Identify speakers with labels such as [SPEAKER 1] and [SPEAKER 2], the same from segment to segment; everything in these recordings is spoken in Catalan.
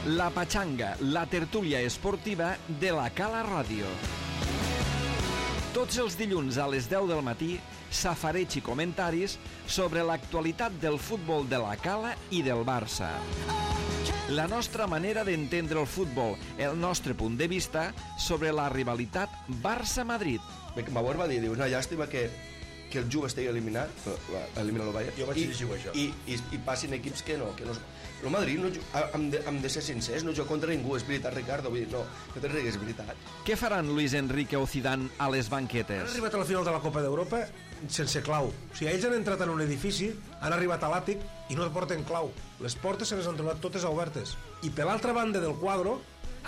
[SPEAKER 1] La Pachanga, la tertúlia esportiva de la Cala Ràdio. Tots els dilluns a les 10 del matí, safareig i comentaris sobre l'actualitat del futbol de la Cala i del Barça. La nostra manera d'entendre el futbol, el nostre punt de vista sobre la rivalitat Barça-Madrid.
[SPEAKER 2] Beckenbauer va dir, una llàstima que el Juve estigui eliminat, elimina el Bayern,
[SPEAKER 3] jo vaig llegir això.
[SPEAKER 2] I passin equips que no. El Madrid, hem de ser sincers, no juga contra ningú, és veritat, Ricardo, vull dir, no te rigues, és veritat.
[SPEAKER 1] Què faran Luis Enrique o Zidane a les banquetes?
[SPEAKER 3] Han arribat a la final de la Copa d'Europa sense clau. O sigui, ells han entrat en un edifici, han arribat a l'àtic i no porten clau. Les portes se les han trobat totes obertes. I per l'altra banda del quadre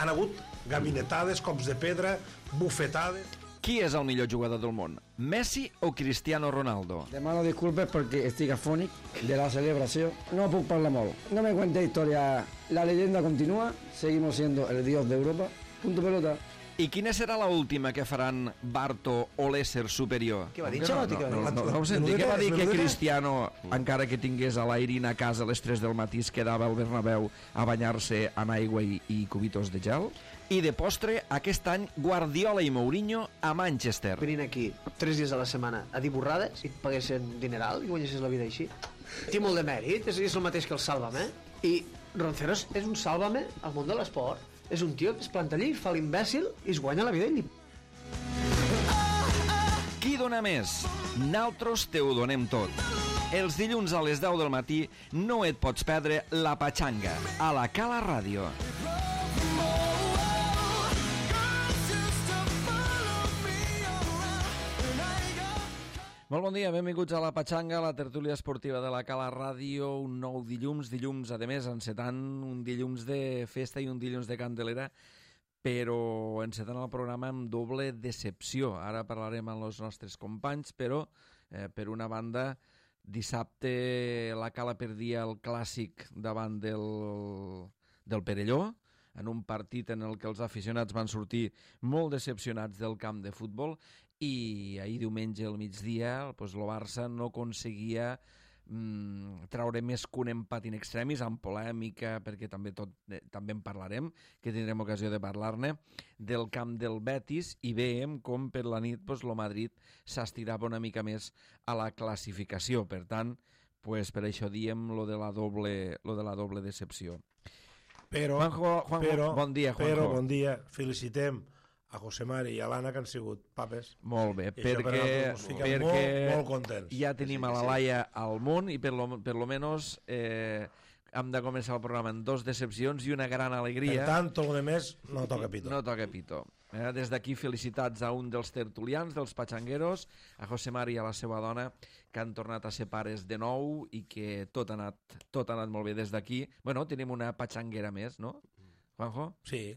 [SPEAKER 3] han hagut gaminetades, cops de pedra, bufetades...
[SPEAKER 1] Qui és el millor jugador del món? Messi o Cristiano Ronaldo?
[SPEAKER 4] Demano disculpes perquè estic afònic de la celebració. No puc parlar molt. No me cuente historia. La leyenda continúa. Seguimos siendo el dios de Europa. Punto pelota.
[SPEAKER 1] I quina serà l'última que faran Barto o l'ésser superior?
[SPEAKER 5] Què va dir? No
[SPEAKER 1] ho senti. Què va dir que Cristiano, encara que tingués a l'Airin a casa a les 3 del matí, es quedava al Bernabéu a banyar-se en aigua i cubitos de gel? I de postre, aquest any, Guardiola i Mourinho a Manchester.
[SPEAKER 5] Venint aquí 3 dies a la setmana a dir borrades i et paguessin dineral i guanyessis la vida així. Té molt de mèrit, és el mateix que el Sálvame. I Ronceros és un Sálvame al món de l'esport. És un tio que es planta allí, fa l'imbècil i es guanya la vida ell.
[SPEAKER 1] Qui dona més? Naltros te ho donem tot. Els dilluns a les 10 del matí no et pots perdre La Pachanga a la Cala Ràdio. Molt bon dia, benvinguts a La Pachanga, la tertúlia esportiva de la Cala Ràdio, un nou dilluns, a més, encetant un dilluns de festa i un dilluns de Candelera, però encetant el programa amb doble decepció. Ara parlarem amb els nostres companys, però, per una banda, dissabte la Cala perdia el clàssic davant del Perelló, en un partit en el que els aficionats van sortir molt decepcionats del camp de futbol, i ahir diumenge al migdia el Barça no aconseguia traure més que un empat in extremis, amb polèmica, perquè també en parlarem, que tindrem ocasió de parlar-ne, del camp del Betis, i veiem com per la nit el Madrid s'estirava una mica més a la classificació. Per tant, per això diem lo de la doble decepció.
[SPEAKER 3] Però,
[SPEAKER 1] Juanjo, bon dia, Juanjo.
[SPEAKER 3] Però, bon dia, felicitem a José Mari i a l'Anna, que han sigut papes.
[SPEAKER 1] Molt bé, perquè
[SPEAKER 3] molt contents.
[SPEAKER 1] Ja tenim a la Laia al món i per lo menos hem de començar el programa amb 2 decepcions i una gran alegria.
[SPEAKER 3] Per tant, tot el més no toca pito.
[SPEAKER 1] No toca pito. Des d'aquí felicitats a un dels tertulians, dels patxangueros, a José Mari i a la seva dona, que han tornat a ser pares de nou i que tot ha anat molt bé des d'aquí. Bueno, tenim una patxanguera més, no? Juanjo?
[SPEAKER 3] Sí,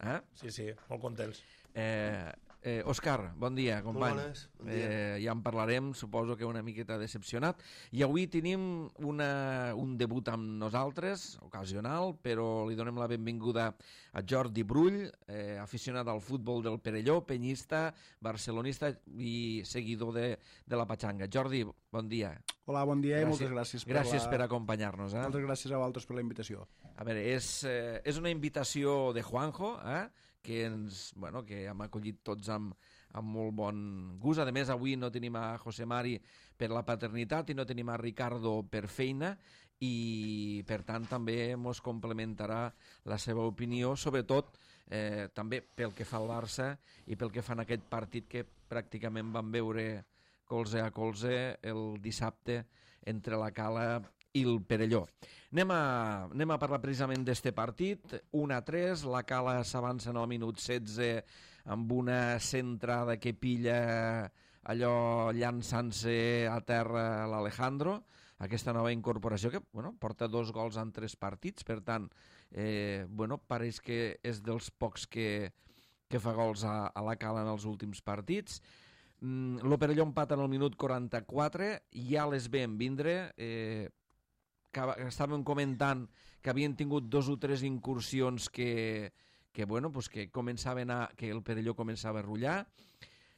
[SPEAKER 3] sí, molt contents.
[SPEAKER 1] Òscar, bon dia, company.
[SPEAKER 2] Molt bones, bon dia.
[SPEAKER 1] Ja en parlarem, suposo que una miqueta decepcionat. I avui tenim un debut amb nosaltres, ocasional, però li donem la benvinguda a Jordi Brull, aficionat al futbol del Perelló, penyista, barcelonista i seguidor de la Pachanga. Jordi, bon dia.
[SPEAKER 6] Hola, bon dia i moltes gràcies
[SPEAKER 1] per acompanyar-nos.
[SPEAKER 6] Moltes gràcies a vosaltres per la invitació.
[SPEAKER 1] A veure, és una invitació de Juanjo, que hem acollit tots amb molt bon gust. A més, avui no tenim a José Mari per la paternitat i no tenim a Ricardo per feina, i per tant també ens complementarà la seva opinió, sobretot també pel que fa al Barça i pel que fa en aquest partit que pràcticament vam veure colze a colze el dissabte entre la Cala i el Perelló. Anem a parlar precisament d'este partit. 1-3, la Cala s'avança en el minut 16 amb una centrada que pilla allò llançant-se a terra l'Alejandro, aquesta nova incorporació que porta 2 gols en 3 partits, per tant pareix que és dels pocs que fa gols a la Cala en els últims partits. Lo Perelló empata en el minut 44, ja les veiem vindre, que estàvem comentant que havien tingut 2 o 3 incursions que començaven que el Perelló començava a rullar,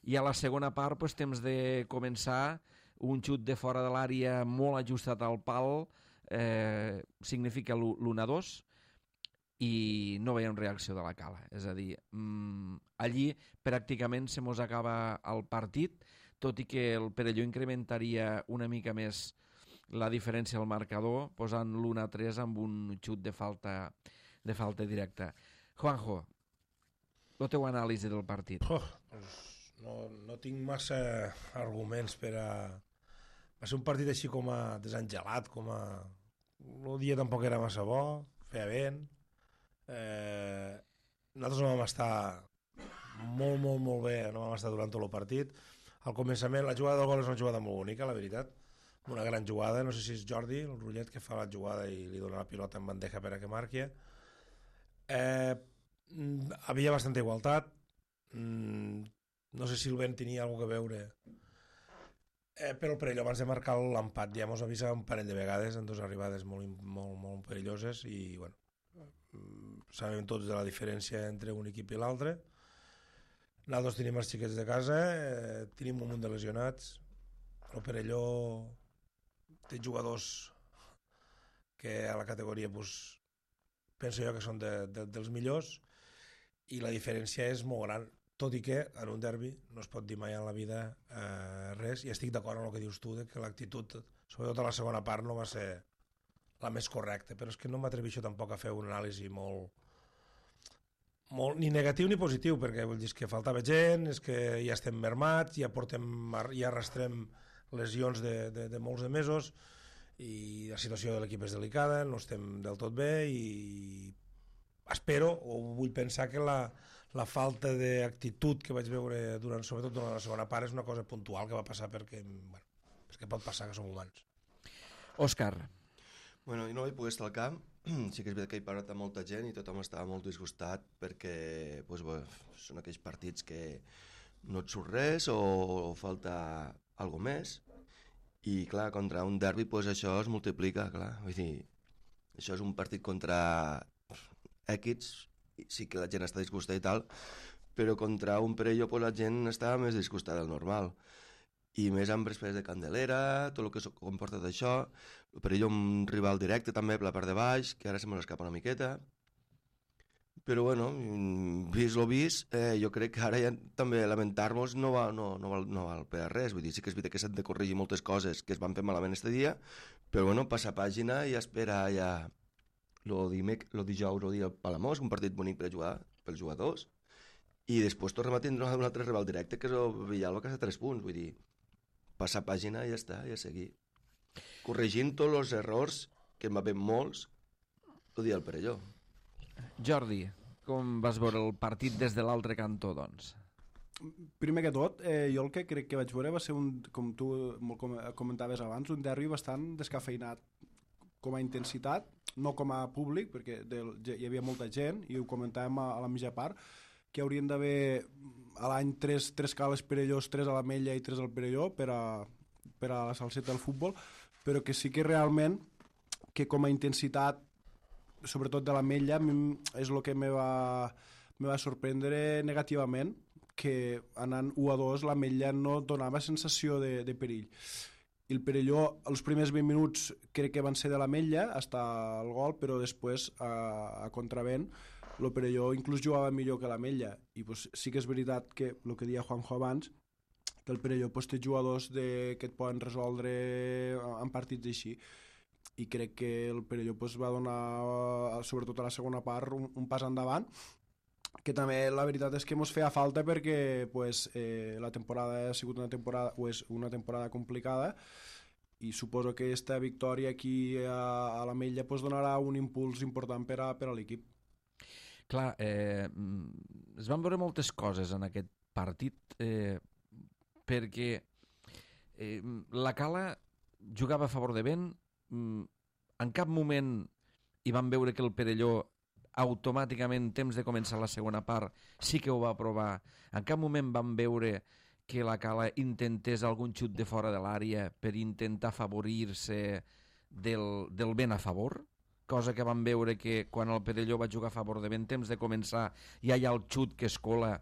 [SPEAKER 1] i a la segona part temps de començar un xut de fora de l'àrea molt ajustat al pal, significa l'1-2, i no veiem reacció de la Cala. És a dir, allí pràcticament se mos acaba el partit, tot i que el Perelló incrementaria una mica més la diferència al marcador, posant l'1-3 amb un xut de falta directa. Juanjo, el teu anàlisi del partit.
[SPEAKER 3] No tinc massa arguments per a... Va ser un partit així com a desangelat, com a... El dia tampoc era massa bo, feia vent. Nosaltres no vam estar molt bé, no vam estar durant tot el partit. Al començament, la jugada del gol és una jugada molt bonica, la veritat. Una gran jugada, no sé si és Jordi, el Rullet, que fa la jugada i li dona la pilota en bandeja per a que marqui. Havia bastanta igualtat. No sé si el vent tenia alguna cosa a veure, però el Perelló abans de marcar l'empat ja mos avisa un parell de vegades en dues arribades molt perilloses i bueno, sabem tots de la diferència entre un equip i l'altre. Nosaltres tenim els xiquets de casa, tenim un munt de lesionats. El Perelló té jugadors que a la categoria penso jo que són dels millors i la diferència és molt gran, tot i que en un derbi no es pot dir mai en la vida res, i estic d'acord amb el que dius tu, que l'actitud, sobretot a la segona part, no va ser la més correcta, però és que no m'atreveixo tampoc a fer un anàlisi molt ni negatiu ni positiu, perquè vull dir que faltava gent, és que ja estem mermats, ja arrastrem lesions de molts de mesos i la situació de l'equip és delicada, no estem del tot bé i espero o vull pensar que la falta d'actitud que vaig veure sobretot durant la segona part és una cosa puntual que va passar perquè pot passar, que som humans.
[SPEAKER 1] Òscar.
[SPEAKER 2] Bueno, jo no vaig poder estar al camp, sí que és veritat que he parlat amb molta gent i tothom estava molt disgustat perquè són aquells partits que no et surt res o falta alguna més i clar, contra un derbi això es multiplica, clar, vull dir, això és un partit contra equips, sí que la gent està disgustada i tal, però contra un Perelló la gent estava més disgustada del normal i més amb després de Candelera, tot el que comporta d'això. El Perelló un rival directe també per la part de baix, que ara se me l'escapa una miqueta, però bueno, vist lo vist, jo crec que ara ja també lamentar-nos no val per a res, vull dir, sí que és veritat que s'han de corregir moltes coses que es van fer malament este dia, però bueno, passar pàgina i esperar ja lo dijous o dia al Palamós, un partit bonic per jugar pels jugadors, i després tornem a tindre un altre rival directe que és el Villalba, que està a 3 punts, vull dir, passar pàgina i ja està, ja seguir corregint tots els errors que en va haver molts el dia del Perelló.
[SPEAKER 1] Jordi, com vas veure el partit des de l'altre cantó, doncs?
[SPEAKER 6] Primer que tot, jo el que crec que vaig veure va ser, com tu comentaves abans, un derbi bastant descafeinat com a intensitat, no com a públic, perquè hi havia molta gent, i ho comentàvem a la mitja part, que haurien d'haver a l'any 3 cales Perellós, 3 a l'Ametlla i 3 al Perelló per a la salseta del futbol, però que sí que realment, que com a intensitat, sobretot de l'Ametlla, és el que me va sorprendre negativament, que anant 1-2 l'Ametlla no donava sensació de perill. I el Perelló, els primers 20 minuts crec que van ser de l'Ametlla, fins al gol, però després, a contravent, el Perelló inclús jugava millor que l'Ametlla. I sí que és veritat que, el que deia Juanjo abans, que el Perelló té jugadors que et poden resoldre en partits així. I crec que el Perelló va donar, sobretot a la segona part, un pas endavant, que també la veritat és que ens feia falta perquè la temporada ha sigut una temporada complicada i suposo que aquesta victòria aquí a l'Ametlla donarà un impuls important per a l'equip.
[SPEAKER 1] Clar, es van veure moltes coses en aquest partit perquè la Cala jugava a favor de vent, en cap moment hi van veure que el Perelló automàticament, temps de començar la segona part, sí que ho va provar. En cap moment van veure que la Cala intentés algun xut de fora de l'àrea per intentar afavorir-se del vent a favor, cosa que van veure que quan el Perelló va jugar a favor de vent, temps de començar, ja hi ha el xut que es cola,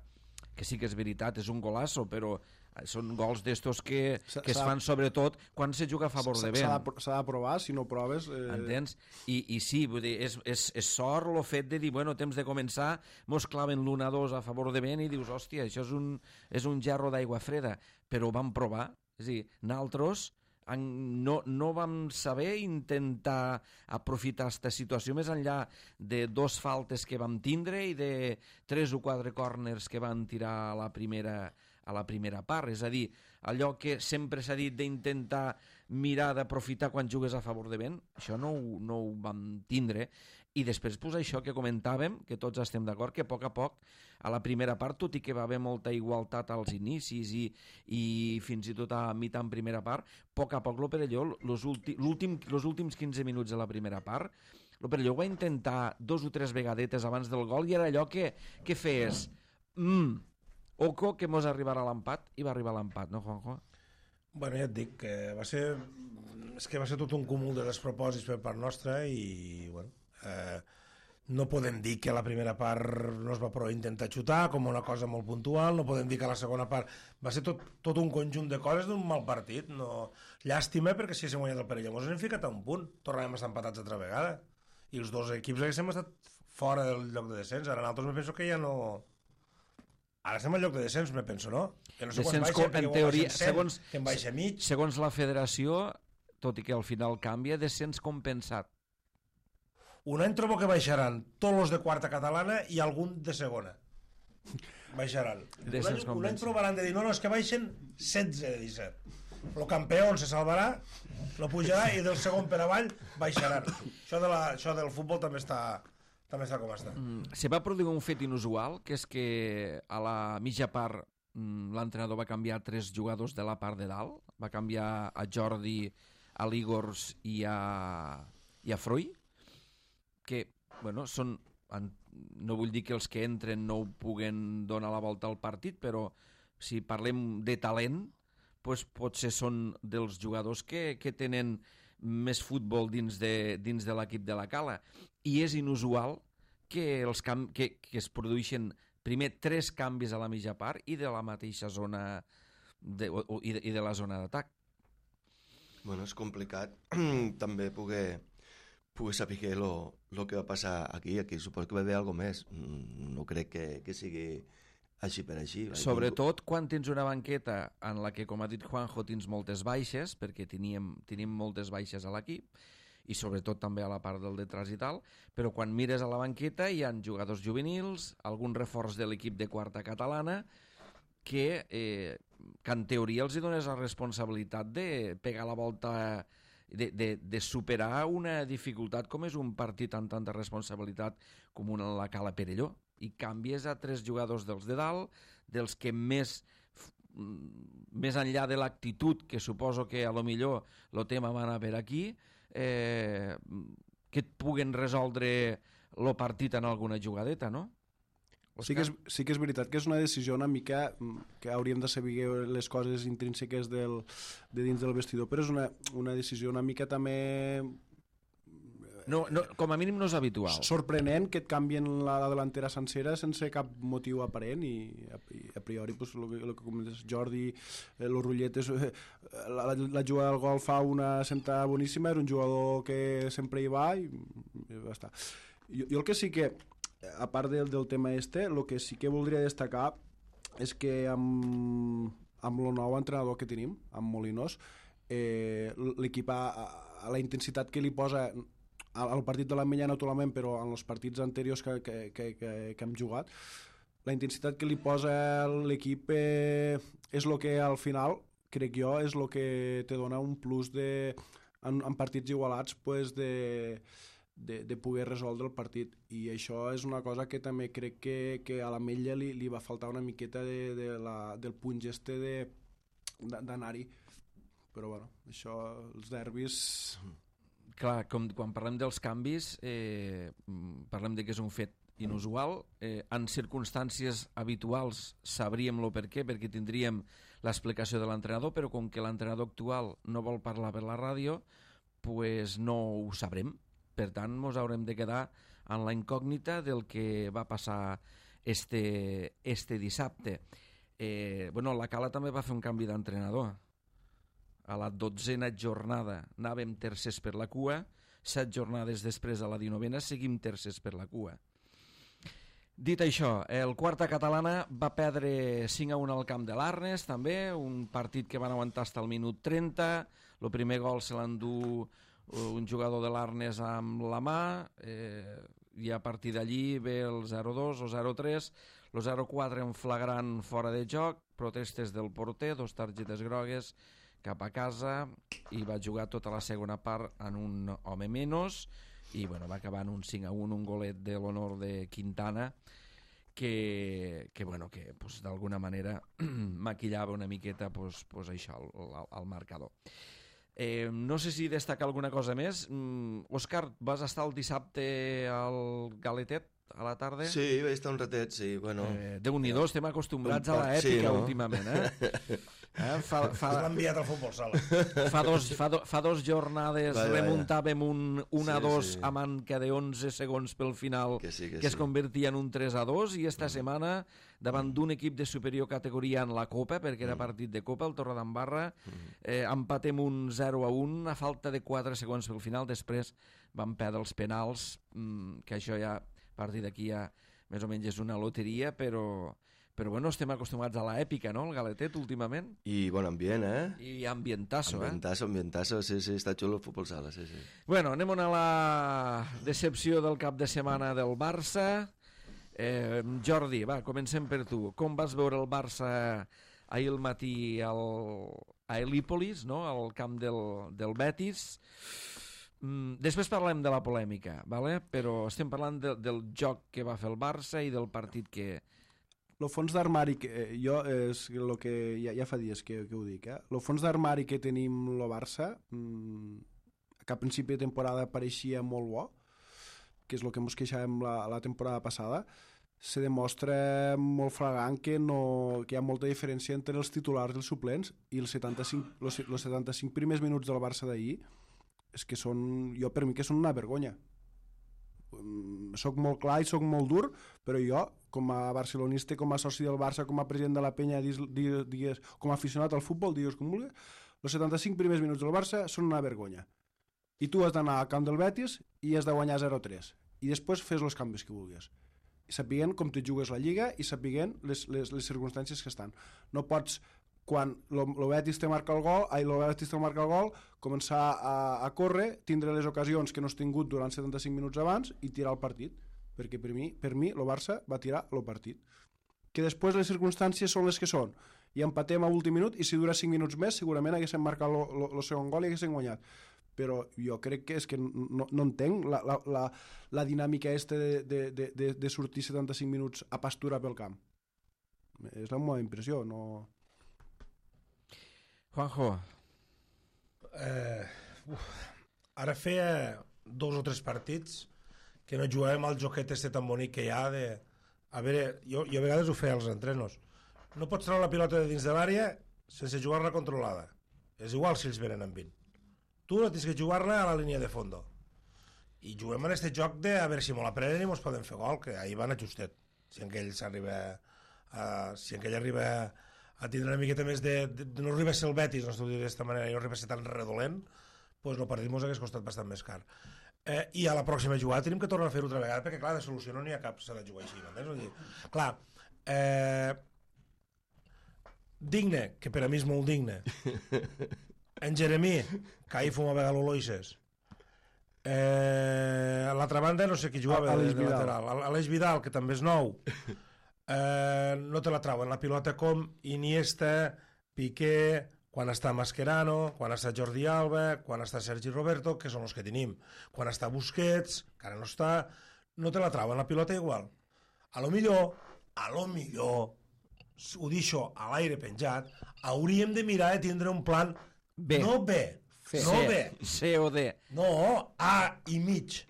[SPEAKER 1] que sí que és veritat, és un golasso, però Són gols d'estos que es
[SPEAKER 6] S'ha-
[SPEAKER 1] fan sobretot quan se juga a favor de vent.
[SPEAKER 6] S'ha de provar, si no proves...
[SPEAKER 1] Entens? I sí, vull dir, és sort el fet de dir, bueno, temps de començar, mos claven l'1-2 a favor de vent i dius, hòstia, això és un gerro d'aigua freda, però ho vam provar. És a dir, nosaltres no vam saber intentar aprofitar aquesta situació més enllà de 2 faltes que vam tindre i de 3 o 4 corners que van tirar a la primera part. És a dir, allò que sempre s'ha dit d'intentar mirar d'aprofitar quan jugues a favor de vent, això no ho vam tindre. I després, pues, això que comentàvem, que tots estem d'acord, que a poc, a la primera part, tot i que va haver molta igualtat als inicis i fins i tot a mitjà en primera part, a poc el Perelló, els últims 15 minuts de la primera part, el Perelló va intentar 2 o 3 vegadetes abans del gol i era allò que feies oco que mos arribarà a l'empat, i va arribar a l'empat, no, Juanjo?
[SPEAKER 3] Bueno, ja et dic que va ser tot un cúmul de despropòsits per part nostra i, bueno, no podem dir que la primera part no es va prou intentar xutar com una cosa molt puntual, no podem dir que la segona part va ser tot un conjunt de coses d'un mal partit. No... Llàstima, perquè si haguéssim guanyat el Perelló ens hem ficat a un punt, tornàvem a estar empatats altra vegada i els 2 equips haguéssim estat fora del lloc de descens. Ara nosaltres me penso que ja no... Ara estem al lloc de descens, me penso, no? Que no sé quan baixa,
[SPEAKER 1] en teoria,
[SPEAKER 3] que en baixa mig.
[SPEAKER 1] Segons la federació, tot i que al final canvia, descens compensat.
[SPEAKER 3] Un any trobo que baixaran tots els de quarta catalana i algun de segona. Baixaran. Un any provaran de dir, no, és que baixen 16 de 17. El campió se salvarà, no pujarà i del segon per avall baixaran. Això del futbol també està com està.
[SPEAKER 1] Se va produir un fet inusual, que és que a la mitja part l'entrenador va canviar 3 jugadors de la part de dalt. Va canviar a Jordi, a l'Igors i a Fruy, que, bueno, són... No vull dir que els que entren no ho puguen donar la volta al partit, però si parlem de talent, doncs potser són dels jugadors que tenen més futbol dins de l'equip de la Cala. I és inusual que es produeixen primer 3 canvis a la mitja part i de la mateixa zona i de la zona d'atac.
[SPEAKER 2] Bueno, és complicat també poder saber el que va passar aquí suposo que va haver alguna més. No crec que sigui així per així.
[SPEAKER 1] Sobretot quan tens una banqueta en la que, com ha dit Juanjo, tens moltes baixes, perquè tenim moltes baixes a l'equip, i sobretot també a la part del detrás i tal, però quan mires a la banqueta hi ha jugadors juvenils, algun reforç de l'equip de quarta catalana, que en teoria els dones la responsabilitat de pegar la volta, de superar una dificultat com és un partit amb tanta responsabilitat com la Cala Perelló, i canvies a 3 jugadors dels de dalt, dels que més enllà de l'actitud, que suposo que a lo millor el tema va anar per aquí, que et puguen resoldre el partit en alguna jugadeta, no?
[SPEAKER 6] Sí que és veritat que és una decisió una mica que hauríem de saber les coses intrínseques de dins del vestidor, però és una decisió una mica també...
[SPEAKER 1] No, com a mínim no és habitual.
[SPEAKER 6] Sorprenent que et canvien la delantera sencera sense cap motiu aparent i a priori pues, el que comentes Jordi, los Rulletes, la jugada del gol fa una senta boníssima, era un jugador que sempre hi va i ja està. Jo el que sí que a part del tema el que sí que voldria destacar és que amb el nou entrenador que tenim, amb Molinos, l'equip a la intensitat que li posa al partit de l'Ametlla naturalment, però en els partits anteriors que hem jugat, la intensitat que li posa l'equip és el que al final, crec jo, és el que te dona un plus en partits igualats pues, de poder resoldre el partit, i això és una cosa que també crec que a l'Ametlla li va faltar una miqueta del punt d'anar-hi, però bueno, això, els derbis...
[SPEAKER 1] Clar, quan parlem dels canvis, parlem de que és un fet inusual, en circumstàncies habituals sabríem el per què, perquè tindríem l'explicació de l'entrenador, però com que l'entrenador actual no vol parlar per la ràdio, pues no ho sabrem. Per tant, ens haurem de quedar en la incògnita del que va passar este dissabte. La Cala també va fer un canvi d'entrenador. A la 12a jornada anàvem tercers per la cua, 7 jornades després a la 19a seguim tercers per la cua. Dit això, el Quarta Catalana va perdre 5-1 al camp de l'Arnes, també, un partit que van aguantar fins al minut 30, el primer gol se l'endú un jugador de l'Arnes amb la mà, i a partir d'allí ve el 0-2 o 0-3, el 0-4 en flagrant fora de joc, protestes del porter, 2 targetes grogues, cap a casa, i va jugar tota la segona part en un home menys, i va acabar en un 5-1, un golet de l'honor de Quintana, que d'alguna manera maquillava una miqueta això, el marcador. No sé si destaca alguna cosa més. Òscar, vas estar el dissabte al Galetet a la tarda?
[SPEAKER 2] Sí, vaig estar un ratet, sí. Bueno,
[SPEAKER 1] Déu-n'hi-do, estem acostumbrats a l'èpica últimament,
[SPEAKER 3] S'ha enviat al futbol sala.
[SPEAKER 1] Fa dos jornades remuntàvem un 1-2
[SPEAKER 2] sí.
[SPEAKER 1] a manca de 11 segons pel final,
[SPEAKER 2] que
[SPEAKER 1] es convertia en un 3-2, i esta setmana davant d'un equip de superior categoria en la Copa, perquè era partit de Copa, el Torredembarra, empatem un 0-1 a falta de 4 segons pel final. Després vam perdre els penals, que això ja a partir d'aquí ja més o menys és una loteria, però estem acostumats a l'èpica, no?, el Galetet, últimament.
[SPEAKER 2] I bon ambient,
[SPEAKER 1] I ambientasso,
[SPEAKER 2] Ambientasso, sí, està xulo el futbol sala, sí.
[SPEAKER 1] Bueno, anem a la decepció del cap de setmana del Barça. Jordi, va, comencem per tu. Com vas veure el Barça ahir al matí a Helípolis, no?, al camp del Betis? Després parlem de la polèmica, ¿vale? Però estem parlant del joc que va fer el Barça i del partit que...
[SPEAKER 6] El fons d'armari, jo és el que ja fa dies que ho dic, el fons d'armari que tenim el Barça, que a principi de temporada pareixia molt bo, que és el que ens queixàvem la temporada passada, se demostra molt flagrant que hi ha molta diferència entre els titulars i els suplents, i els 75 primers minuts del Barça d'ahir és que per mi que són una vergonya. Soc molt clar i soc molt dur, però jo, com a barcelonista, com a soci del Barça, com a president de la penya, com a aficionat al futbol, digues com vulguis, els 75 primers minuts del Barça són una vergonya. I tu has d'anar al camp del Betis i has de guanyar 0-3. I després fes els canvis que vulguis. I sapiguent com te jugues la Lliga i sapiguent les circumstàncies que estan. No pots, quan el Betis te marca el gol, començar a córrer, tindre les ocasions que no has tingut durant 75 minuts abans i tirar el partit. Perquè per mi el Barça va tirar el partit. Que després les circumstàncies són les que són. I empatem a últim minut, i si dura 5 minuts més segurament haguéssim marcat el segon gol i haguéssim guanyat. Però jo crec que és que no entenc la dinàmica de sortir 75 minuts a pastura pel camp. És la meva impressió, no...
[SPEAKER 1] Juanjo.
[SPEAKER 3] Ara feia 2 o 3 partits que no jugàvem al joquet tan bonic que hi ha de... A veure, jo a vegades ho feia als entrenos. No pots treure la pilota de dins de l'àrea sense jugar-la controlada. És igual si ells venen amb 20. Tu no tens que jugar-la a la línia de fondo. I juguem en aquest joc de a veure si molt la prenen i mos poden fer gol, que ahir van a justet. Si en ell arriba a tindre una miqueta més de no arriba a ser el Betis, no s'ho dir d'esta manera, i no arriba a ser tan redolent, doncs el partit mos hagués costat bastant més car. I a la pròxima jugada tenim que tornar a fer-ho altra vegada, perquè clar, de solució no n'hi ha cap, s'ha de jugar així, no? Clar, digne, que per a mi és molt digne. En Jeremí, que ahir fumava galoloises. A l'altra banda no sé qui jugava de lateral. Aleix Vidal, que també és nou. No te la trauen la pilota com Iniesta, Piqué, quan està Mascherano, quan està Jordi Alba, quan està Sergi Roberto, que són els que tenim. Quan està Busquets, que ara no està, no te la trauen la pilota igual. A lo millor, ho deixo a l'aire penjat, hauríem de mirar de tindre un plan
[SPEAKER 1] B.
[SPEAKER 3] No B, no B.
[SPEAKER 1] C o D.
[SPEAKER 3] No, A i mig.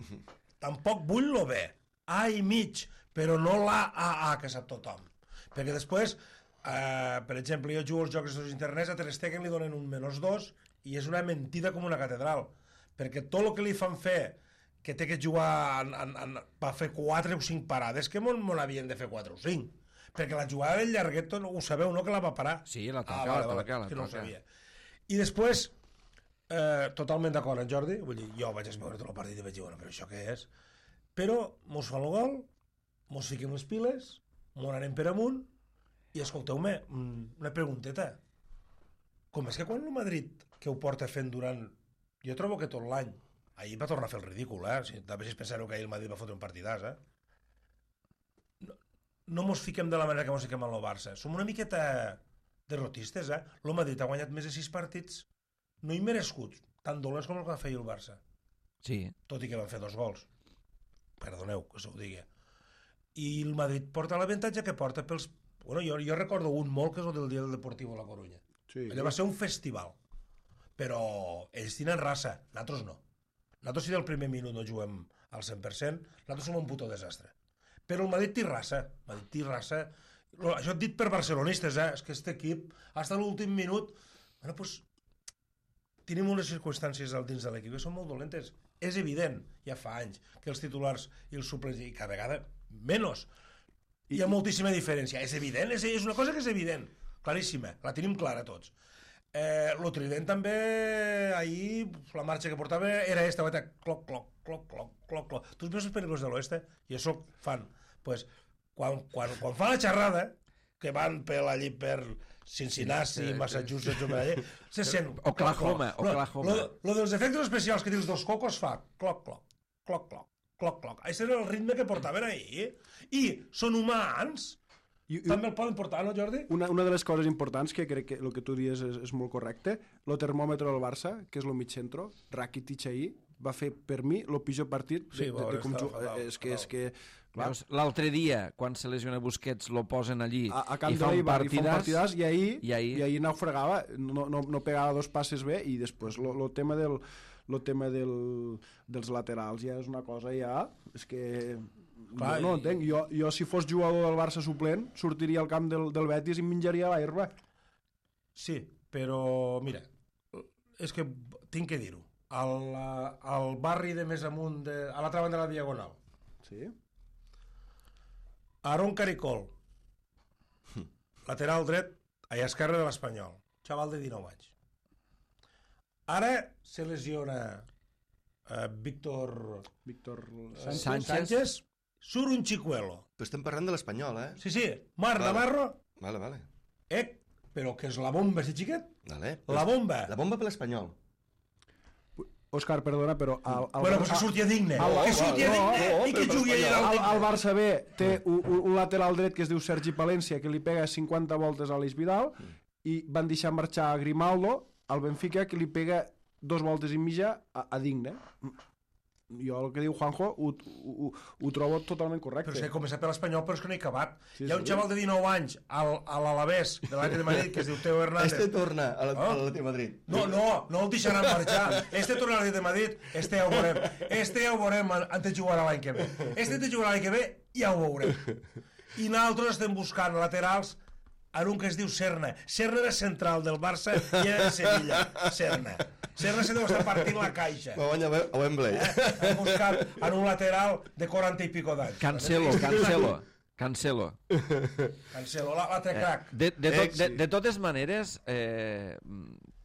[SPEAKER 3] Tampoc vull lo B. A i mig, però no l'AAA que sap tothom. Perquè després, per exemple, jo jugo als jocs d'internets, a Ter Stegen li donen un -2 i és una mentida com una catedral. Perquè tot el que li fan fer, que té que jugar va fer 4 o 5 parades, que m'on havien de fer 4 o 5. Perquè la jugada del llarguet ho sabeu, no, que la va parar?
[SPEAKER 1] Sí, la toca,
[SPEAKER 3] que no ho sabia. I després, totalment d'acord amb Jordi, vull dir, jo vaig veure tot el partit i vaig dir, bueno, però això què és? Però mos fa el gol, mos fiquem les piles, mos anem per amunt, i escolteu-me, una pregunteta. Com és que quan el Madrid, que ho porta fent durant... Jo trobo que tot l'any, ahir va tornar a fer el ridícul, també si penseu que ahir el Madrid va fotre un partidàs, no mos fiquem de la manera que mos fiquem en el Barça. Som una miqueta derrotistes, El Madrid ha guanyat més de 6 partits no immerescuts, tan dolents com el que va fer el Barça.
[SPEAKER 1] Sí.
[SPEAKER 3] Tot i que van fer 2 gols. Perdoneu que s'ho digui. I el Madrid porta l'avantatge que porta pels... Bueno, jo recordo un molt, que és el del dia del Deportivo a la Corunya.
[SPEAKER 6] Sí.
[SPEAKER 3] Allò va ser un festival. Però ells tenen raça, nosaltres no. Nosaltres si del primer minut no juguem al 100%, nosaltres som un puto desastre. Però el Madrid té raça. Madrid té raça. Això dit per barcelonistes, és que aquest equip, fins a l'últim minut, bueno, doncs, tenim unes circumstàncies dins de l'equip que són molt dolentes. És evident, ja fa anys, que els titulars i els suplents, i cada vegada menys, hi ha moltíssima diferència. És evident, és una cosa que és evident, claríssima, la tenim clara tots. Lo Trident també, ahir la marxa que portava era esta, cloc, cloc, cloc, cloc, cloc, cloc. Tu veus les pel·lícules de l'oeste? I això fan. Pues, quan fan la xerrada, que van allí per Cincinnati, Massachusetts, se sent...
[SPEAKER 1] Oklahoma.
[SPEAKER 3] Lo dels efectes especials que dius dos cocos fa cloc, cloc, cloc, cloc, cloc, cloc. Això era el ritme que portaven ahir. I són humans... També el poden portar, no, Jordi?
[SPEAKER 6] Una de les coses importants, que crec que el que tu dius és molt correcte, el termòmetre del Barça, que és el mig centro, Rakitic ahir, va fer, per mi, el pitjor partit de com jugar. És que
[SPEAKER 1] l'altre dia, quan se lesiona Busquets, lo posen allí
[SPEAKER 6] a Camp de l'Eibar i fa un partidàs, i ahir naufragava, no pegava 2 passes bé, i després el tema dels laterals ja és una cosa ja... És que... Clar, no entenc, jo si fos jugador del Barça suplent sortiria al camp del Betis i menjaria l'herba.
[SPEAKER 3] Sí, però mira, és que tinc que dir-ho, al barri de més amunt, a l'altra banda de la Diagonal,
[SPEAKER 6] sí?
[SPEAKER 3] Aaron Caricol, lateral dret a esquerra de l'Espanyol, xaval de 19 anys. Ara se lesiona Víctor Sánchez. Surt un xicuelo.
[SPEAKER 2] Però estem parlant de l'Espanyol,
[SPEAKER 3] Sí, Marc Navarro.
[SPEAKER 2] Vale.
[SPEAKER 3] Però que és la bomba, si xiquet?
[SPEAKER 2] Vale.
[SPEAKER 3] La bomba.
[SPEAKER 2] La bomba per l'Espanyol.
[SPEAKER 6] Òscar, perdona, però...
[SPEAKER 3] Bueno, pues que sortia digne. Que sortia digne i que jugui allà.
[SPEAKER 6] El Barça B té un lateral dret que es diu Sergi Palència, que li pega 50 voltes a l'Eix Vidal, i van deixar marxar a Grimaldo, al Benfica, que li pega 2 voltes i mitja a Digne. Jo el que diu Juanjo ho trobo totalment correcte.
[SPEAKER 3] Però és que he començat per l'Espanyol, però és que no he acabat. Hi ha un xaval de 19 anys a l'Alavés de l'Atlètic de Madrid que es diu Teo Hernández.
[SPEAKER 2] Torna a l'Atlètic de Madrid.
[SPEAKER 3] No el deixaran marxar. Torna a l'Atlètic de Madrid, ja ho veurem. Ja ho veurem antes de jugar l'any que ve. Antes de jugar l'any que ve ja ho veurem. I nosaltres estem buscant laterals en un que es diu Serna. Serna era central del Barça i era de Sevilla. Serna se deu estar partint la caixa.
[SPEAKER 2] Va guanyar a Wembley.
[SPEAKER 3] Hem buscat en un lateral de 40 i pico d'anys.
[SPEAKER 1] Cancelo,
[SPEAKER 3] l'altre crac.
[SPEAKER 1] De totes maneres,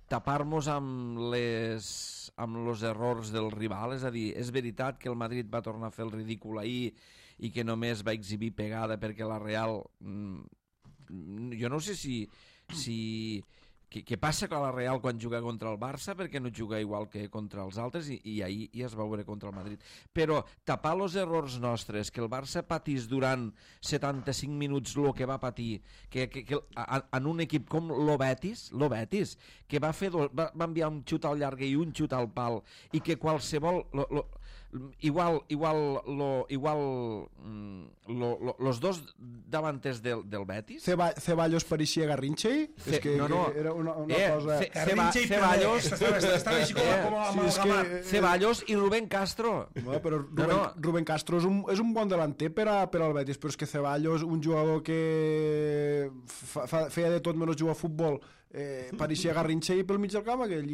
[SPEAKER 1] tapar-nos amb els errors del rival, és a dir, és veritat que el Madrid va tornar a fer el ridícul ahir i que només va exhibir pegada perquè la Real... Jo no sé si què passa a la Real quan juga contra el Barça, perquè no juga igual que contra els altres, i ahir ja es va veure contra el Madrid. Però tapar els errors nostres, que el Barça patís durant 75 minuts el que va patir, que en un equip com lo Betis, que va enviar un xut al llarg i un xut al pal, i que qualsevol... Igual los dos davantes del Betis.
[SPEAKER 6] Ceballos pareixia Garrincha. És que era una cosa...
[SPEAKER 1] Ceballos i Rubén Castro.
[SPEAKER 6] Però Rubén Castro és un bon delanter per al Betis, però és que Ceballos, un jugador que feia de tot menys jugar a futbol, pareixia Garrincha i pel mig del camp aquell.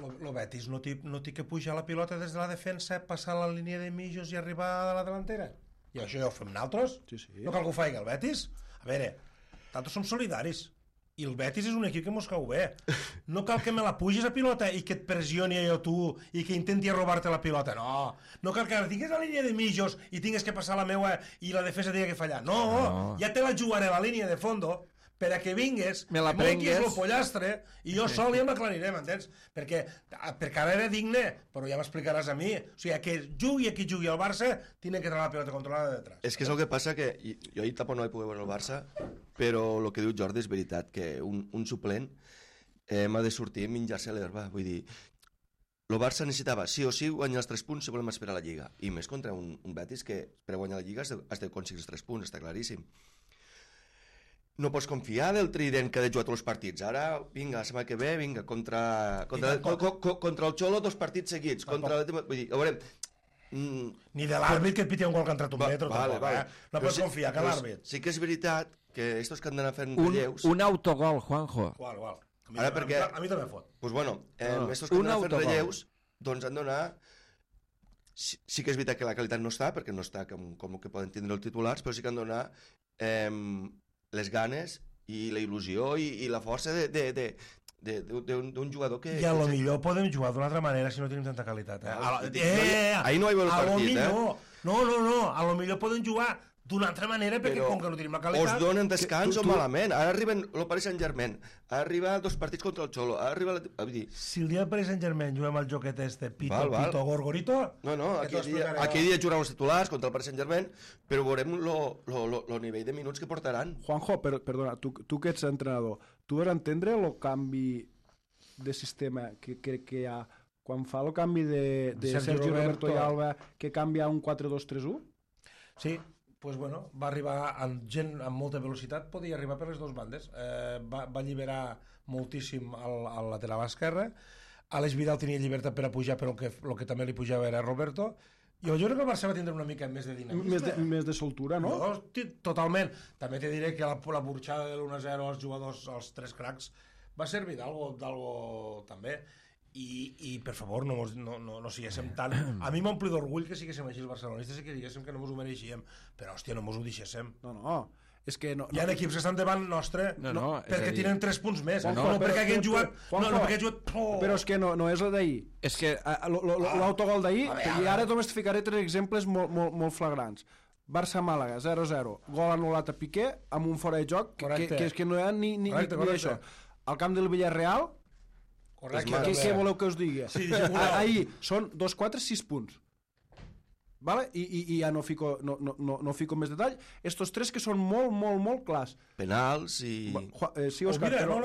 [SPEAKER 3] El Betis no té que pujar la pilota des de la defensa, passar la línia de mitjos i arribar a la delantera. I això ja ho fem nosaltres.
[SPEAKER 6] Sí.
[SPEAKER 3] No cal que ho faci el Betis. A veure, nosaltres som solidaris. I el Betis és un equip que mos cau bé. No cal que me la puges a pilota i que et pressioni jo tu i que intenti robar-te la pilota. No cal que tingues la línia de mitjos i tingues que passar la meua i la defensa tingui que fallar. No, ja te la jugaré a la línia de fondo per a que vingues,
[SPEAKER 1] me la prengues,
[SPEAKER 3] el pollastre i jo sol ja m'aclariré, m'entens? Perquè ara era digne, però ja m'explicaràs a mi. O sigui, que jugui a qui jugui al Barça, tenen que tenir la pilota controlada de detrás.
[SPEAKER 2] És que és el que passa que jo ahir tampoc no vaig poder veure el Barça, però el que diu Jordi és veritat, que un suplent m'ha de sortir i menjar-se l'herba. Vull dir, el Barça necessitava sí o sí guanyar els 3 punts si volem esperar la Lliga. I més contra un Betis que per guanyar la Lliga has de aconseguir els 3 punts, està claríssim. No pots confiar del trident que ha de jugar tots els partits. Ara, vinga, la setmana que ve, vinga, contra el Xolo 2 partits seguits. Vull dir, a veure...
[SPEAKER 3] Ni de l'àrbit que et piti un gol que ha entrat un metro, tampoc, No pots confiar que l'àrbit.
[SPEAKER 2] Sí que és veritat que estos que han d'anar fent relleus...
[SPEAKER 1] Un autogol, Juanjo.
[SPEAKER 3] Qual.
[SPEAKER 2] Ara perquè...
[SPEAKER 3] A mi també fot.
[SPEAKER 2] Pues bueno, estos que han d'anar fent relleus, doncs han d'anar... Sí que és veritat que la qualitat no està, perquè no està com que poden tindre els titulars, però sí que han d'anar les ganes i la il·lusió i la força d'un jugador que...
[SPEAKER 3] I a lo millor podem jugar d'una altra manera si no tenim tanta qualitat.
[SPEAKER 2] Ahir no hi va el partit,
[SPEAKER 3] No, a lo millor podem jugar d'una altra manera perquè com que no tenim la qualitat...
[SPEAKER 2] Us donen descans o malament. Ara arriben el Paris Saint-Germain, ara arriba 2 partits contra el Xolo, ara arriba...
[SPEAKER 3] Si el dia del Paris Saint-Germain juguem al joquet Pito Gorgorito...
[SPEAKER 2] No, aquell dia jugaran els titulars contra el Paris Saint-Germain, però veurem el nivell de minuts que portaran.
[SPEAKER 6] Juanjo, perdona, tu que ets entrenador, tu vas entendre el canvi de sistema que hi ha quan fa el canvi de Sergio Roberto i Alba, que canvia a un 4-2-3-1?
[SPEAKER 3] Sí, pues bueno, va arribar amb gent amb molta velocitat, podia arribar per les dues bandes. Va alliberar moltíssim al lateral esquerre. Àlex Vidal tenia llibertat per a pujar, però el que també li pujava era Roberto. Jo crec que el Barça va tindre una mica més de dinamisme.
[SPEAKER 6] Més de soltura, no?
[SPEAKER 3] Totalment. També te diré que la burxada de l'1-0 als jugadors, als 3 cracs, va servir d'algo també. I per favor, no siguéssim tan... A mi m'ompli d'orgull que siguéssim així els barcelonistes i que diguéssim que no mos ho mereixíem, però hòstia, no mos ho deixéssim.
[SPEAKER 6] No, és que no...
[SPEAKER 3] Hi ha equips que estan davant nostre perquè tenen 3 punts més, no perquè hagin jugat...
[SPEAKER 6] Però és que no és el d'ahir. És que l'autogol d'ahir, i ara només te ficaré 3 exemples molt flagrants. Barça-Màlaga, 0-0, gol anul·lat a Piqué amb un fora de joc que és que no hi ha ni això. Al camp del Villarreal, què voleu que us digui? Ahir són 2, 4, 6 punts. Vale? I ja no fico més detall. Estos 3 que són molt clars.
[SPEAKER 2] Penals i...
[SPEAKER 3] Sí, Òscar, però...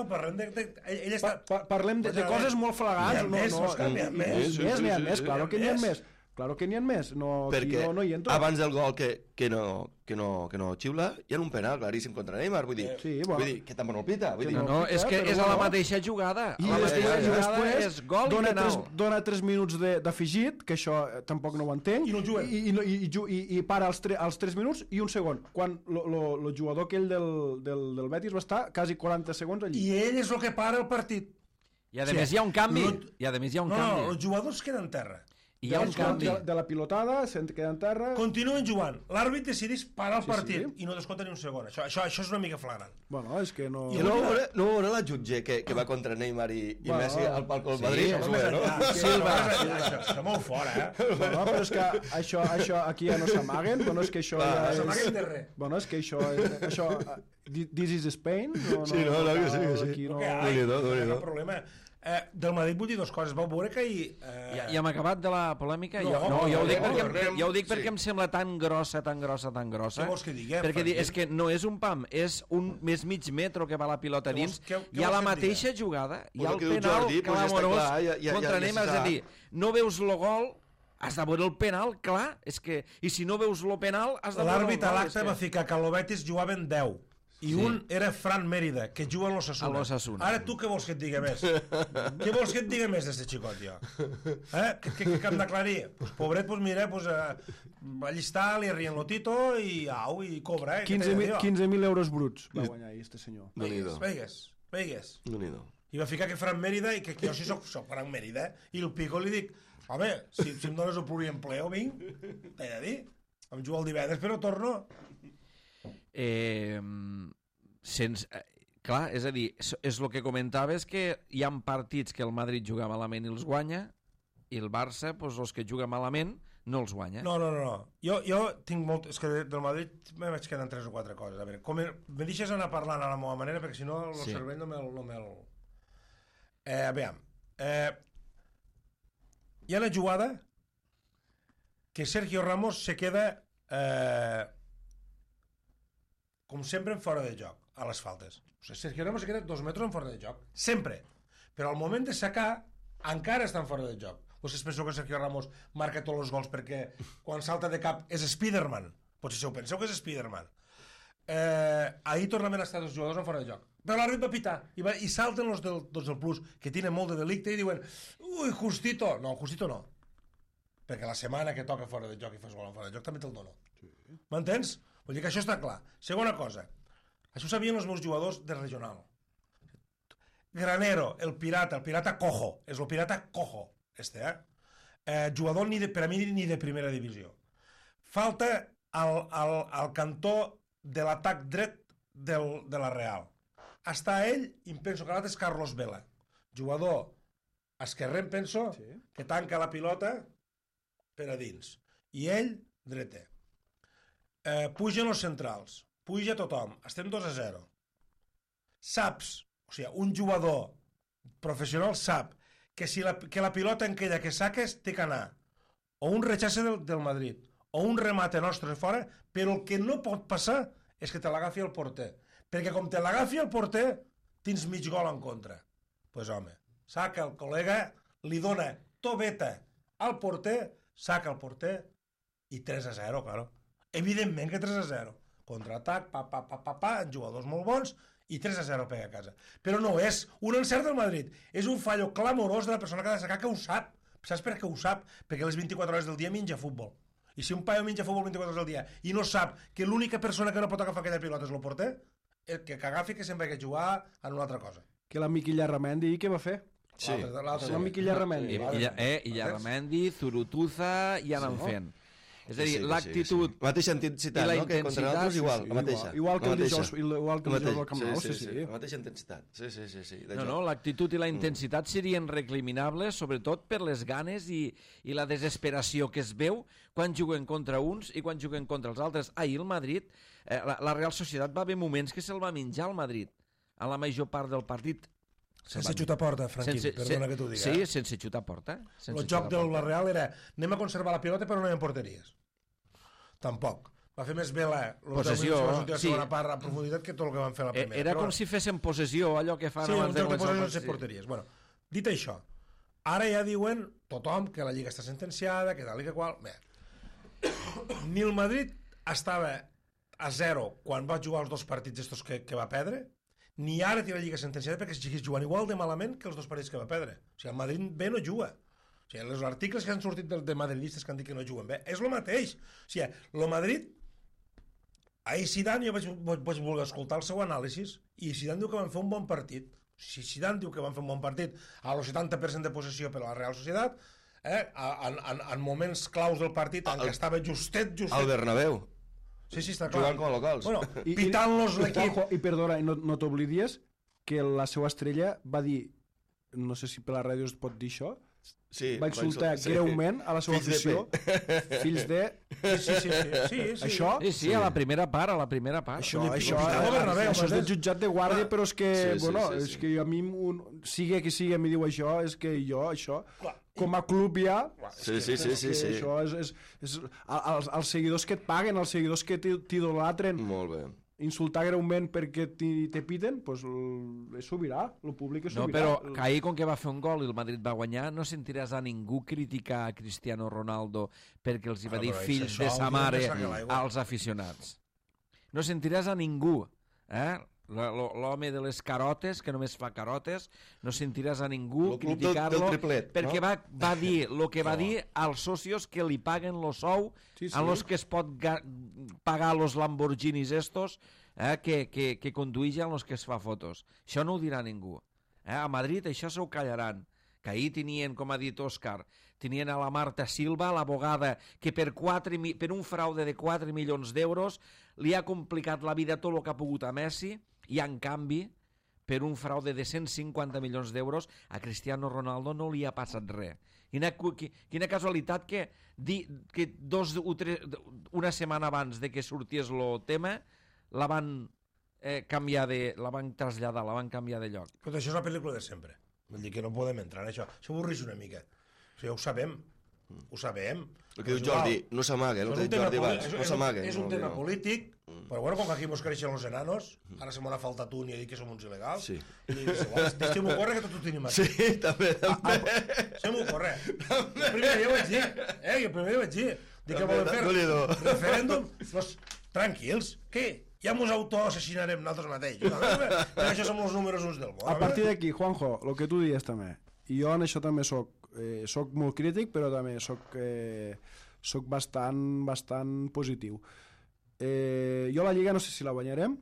[SPEAKER 6] Parlem de coses molt flagrants.
[SPEAKER 3] N'hi
[SPEAKER 6] ha més, claro que n'hi ha més. Claro que n'hi ha més,
[SPEAKER 2] perquè abans del gol que no xiula, hi ha un penal claríssim contra Neymar, vull dir que tampoc no el pita.
[SPEAKER 1] No, és que és a la mateixa jugada.
[SPEAKER 6] I després dona 3 minuts d'afegit, que això tampoc no ho entenc, i para als 3 minuts i un segon, quan el jugador aquell del Betis va estar quasi 40 segons allí.
[SPEAKER 3] I ell és el que para el partit.
[SPEAKER 1] I a més hi ha un canvi.
[SPEAKER 3] No, els jugadors queden en terra.
[SPEAKER 1] I hi ha un canvi.
[SPEAKER 6] De la pilotada, se'n queda en terra...
[SPEAKER 3] Continuen jugant. L'àrbit decideix parar el partit i no descompta ni un segon. Això és una mica flagrant.
[SPEAKER 6] Bueno, és que no...
[SPEAKER 2] I no veurà la jutge que va contra Neymar i Messi al palco del Madrid?
[SPEAKER 3] Està molt fora,
[SPEAKER 6] Bueno, però és que això aquí ja no s'amaguen. Bueno, és que això ja és...
[SPEAKER 3] No s'amaguen de res.
[SPEAKER 6] Bueno, és que això... This is Spain?
[SPEAKER 2] Sí, no, que sí.
[SPEAKER 3] No hi ha problema. Del Madrid vull dir 2 coses. Vau veure que ahir...
[SPEAKER 1] Ja hem acabat de la polèmica? No, ja ho dic perquè em sembla tan grossa.
[SPEAKER 3] Què vols que diguem?
[SPEAKER 1] Perquè és que no és un pam, és més mig metro que va la pilota dins. Hi ha la mateixa jugada, hi ha el penal clamorós contra Neymar. És a dir, no veus el gol, has de veure el penal, clar. I si no veus el penal, has de veure el gol.
[SPEAKER 3] L'àrbit a l'acte va ficar que a l'Obetis jugaven 10. I un era Fran Mérida, que juga a l'Osasuna. Ara tu què vols que et digui més? Què vols que et digui més d'este xicot, jo? Què hem d'aclarir? Pues pobret, pues mira, allí està, li arrien l'otito i cobra,
[SPEAKER 6] 15.000 euros bruts va guanyar este senyor.
[SPEAKER 3] Veigues. I va ficar que Fran Mérida, i que jo sí soc Fran Mérida, i el pico li dic, home, si em dones el pluriempleo, vinc, t'he de dir, em jugo el divendres però torno.
[SPEAKER 1] Clar, és a dir, és el que comentaves, que hi ha partits que el Madrid juga malament i els guanya, i el Barça, doncs, els que juga malament, no els guanya.
[SPEAKER 3] No. Jo tinc molt... És que del Madrid me vaig quedant 3 o 4 coses. A veure, me deixes anar parlant a la meva manera, perquè si no el cervell no me'l... Aviam. Hi ha una jugada que Sergio Ramos se queda com sempre en fora de joc a les faltes. O sigui, Sergio Ramos se queda 2 metres en fora de joc. Sempre. Però al moment de sacar encara està en fora de joc. Vostès penseu que Sergio Ramos marca tots els gols perquè quan salta de cap és Spiderman? Potser si ho penseu que és Spiderman. Ahir tornaven a estar 2 jugadors en fora de joc. Però l'àrbit va pitar i salten els del Plus, que tenen molt de delicte, i diuen ui, Justito. No, Justito no. Perquè la setmana que toca fora de joc i fas gol en fora de joc també te'l dono. Sí. M'entens? Vull dir que això està clar. Segona cosa, això ho sabien els meus jugadors de regional. Granero, el pirata cojo, és el pirata cojo. Jugador per a mi ni de primera divisió. Falta al cantó de l'atac dret de la Real. Està ell, i em penso que l'altre és Carlos Vela, jugador esquerrer, em penso, que tanca la pilota per a dins, i ell dreta. Pugen els centrals, puja tothom, estem 2-0. Saps, o sigui, un jugador professional sap que la pilota en aquella que saques té que anar o un rechace del Madrid o un remate nostre fora, però el que no pot passar és que te l'agafi el porter, perquè com te l'agafi el porter tens mig gol en contra. Pues home, saca el col·lega, li dona tobeta al porter, saca el porter i 3-0, claro. Evidentment que 3-0. Contraatac, en jugadors molt bons, i 3-0 pega a casa. Però no és un encert del Madrid, és un fallo clamorós de la persona que ha de sacar, que ho sap. Saps per què ho sap? Perquè les 24 hores del dia menja futbol. I si un paio menja futbol 24 hores del dia i no sap que l'única persona que no pot agafar aquella pilota és el porter, que agafi que sempre ha de jugar en una altra cosa.
[SPEAKER 6] Que la Miqui Llarramendi, què va fer?
[SPEAKER 3] Sí.
[SPEAKER 6] La Miqui Llarramendi.
[SPEAKER 1] I Llarramendi, Zurutuza, i anant fent. És a dir, l'actitud...
[SPEAKER 2] Mateixa intensitat, no? Que contra nosaltres igual, la mateixa.
[SPEAKER 6] Igual que el dijous del Camp Nou, sí.
[SPEAKER 2] La mateixa intensitat, sí.
[SPEAKER 1] No, l'actitud i la intensitat serien reclinables, sobretot per les ganes i la desesperació que es veu quan juguen contra uns i quan juguen contra els altres. Ahir el Madrid, la Real Societat va haver moments que se'l va menjar al Madrid, a la major part del partit.
[SPEAKER 3] Sense xutar porta, Franquín, perdona que t'ho diga.
[SPEAKER 1] Sí, sense xutar porta.
[SPEAKER 3] El joc de la Real era anem a conservar la pilota però no hi ha porteries. Tampoc. Va fer més bé la segona part a profunditat que tot el que van fer la primera.
[SPEAKER 1] Era com si féssim possessió, allò que fan abans de
[SPEAKER 3] començar el partit. Sí, un joc de possessió sense porteries. Bueno, dit això, ara ja diuen tothom que la Lliga està sentenciada, que tal i que qual... Bé, ni el Madrid estava a 0 quan va jugar els 2 partits estos que va perdre, ni ara té la Lliga sentenciada perquè estigués jugant igual de malament que els 2 partits que va perdre. O sigui, el Madrid bé no juga. O sigui, els articles que han sortit de madridistes que han dit que no juguen bé, és el mateix. O sigui, el Madrid... Ahir Zidane, jo vaig voler escoltar el seu anàlisi, i Zidane diu que van fer un bon partit. Si Zidane diu que van fer un bon partit a los 70% de possessió per a la Real Societat, en moments claus del partit en què estava justet...
[SPEAKER 2] Al Bernabéu.
[SPEAKER 3] Sí, està clar.
[SPEAKER 2] Jugant com a locals.
[SPEAKER 3] Bueno, pitant-los l'equip.
[SPEAKER 6] I perdona, no t'oblidies que la seva estrella va dir, no sé si per la ràdio es pot dir això, va insultar greument a la seva afició. Fills de... Sí. Això?
[SPEAKER 1] Sí, a la primera part,
[SPEAKER 6] Això és del jutjat de guàrdia, però és que, és que a mi, sigui qui sigui, em diu això, és que jo, això... Com a club ja...
[SPEAKER 2] Sí.
[SPEAKER 6] Això és els seguidors que et paguen, els seguidors que t'idolatren.
[SPEAKER 2] Molt bé.
[SPEAKER 6] Insultar greument perquè te piten, doncs és sobirà, el públic és sobirà.
[SPEAKER 1] No, però que ahir, com que va fer un gol i el Madrid va guanyar, no sentiràs a ningú criticar a Cristiano Ronaldo perquè els hi va dir fills de sa mare als aficionats. No sentiràs a ningú, l'home de les carotes, que només fa carotes, no sentiràs a ningú criticar-lo perquè va dir el que va dir als socios que li paguen el sou a los que es pot pagar los Lamborghinis estos que conduïgen los que es fa fotos. Això no ho dirà ningú. A Madrid això s'ho callaran. que ahir tenien, com ha dit Òscar, tenien a la Marta Silva, l'abogada, que per un fraude de 4 milions d'euros li ha complicat la vida tot el que ha pogut a Messi, i en canvi, per un fraude de 150 milions d'euros, a Cristiano Ronaldo no li ha passat res. Quina casualitat que una setmana abans de que sortís el tema la van traslladar, la van canviar de lloc.
[SPEAKER 3] Però això és la pel·lícula de sempre. Vull dir que no podem entrar en això. Això avorreix una mica. O sigui, ho sabem.
[SPEAKER 2] El que diu Jordi, no s'amaga, el que diu Jordi abans, no s'amaga.
[SPEAKER 3] És un tema polític, però bueno, com que aquí mos creixen els enanos, ara se m'ha faltat un i ha dit que som uns il·legals, i deixem-ho córrer que tot ho tenim aquí.
[SPEAKER 2] Sí, també.
[SPEAKER 3] Deixem-ho córrer. El primer dia ho vaig dir, el primer dia vaig dir, que volem fer referèndum, tranquils, què? Ja mos autoassassinarem nosaltres mateix. Per això som els números uns del món.
[SPEAKER 6] A partir d'aquí, Juanjo, el que tu dies també, i jo en això també soc molt crític, però també soc bastant positiu. Jo la Lliga no sé si la guanyarem,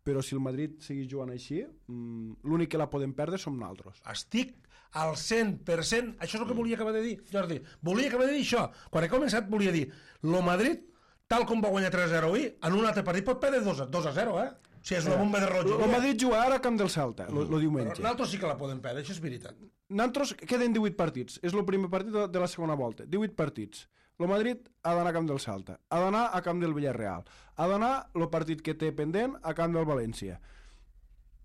[SPEAKER 6] però si el Madrid seguís jugant així, l'únic que la podem perdre som nosaltres.
[SPEAKER 3] Estic al 100%, això és el que volia acabar de dir, Jordi. Volia acabar de dir això. Quan he començat volia dir, el Madrid, tal com va guanyar 3-0 avui, en un altre partit pot perdre 2-0, eh? O sigui, és una bomba de rotllo.
[SPEAKER 6] El Madrid juga ara a camp del Celta, el diumenge.
[SPEAKER 3] Però nosaltres sí que la podem perdre, això és veritat.
[SPEAKER 6] Nosaltres queden 18 partits, és el primer partit de la segona volta, 18 partits. El Madrid ha d'anar a camp del Celta, ha d'anar a camp del Villarreal, ha d'anar el partit que té pendent a camp del València.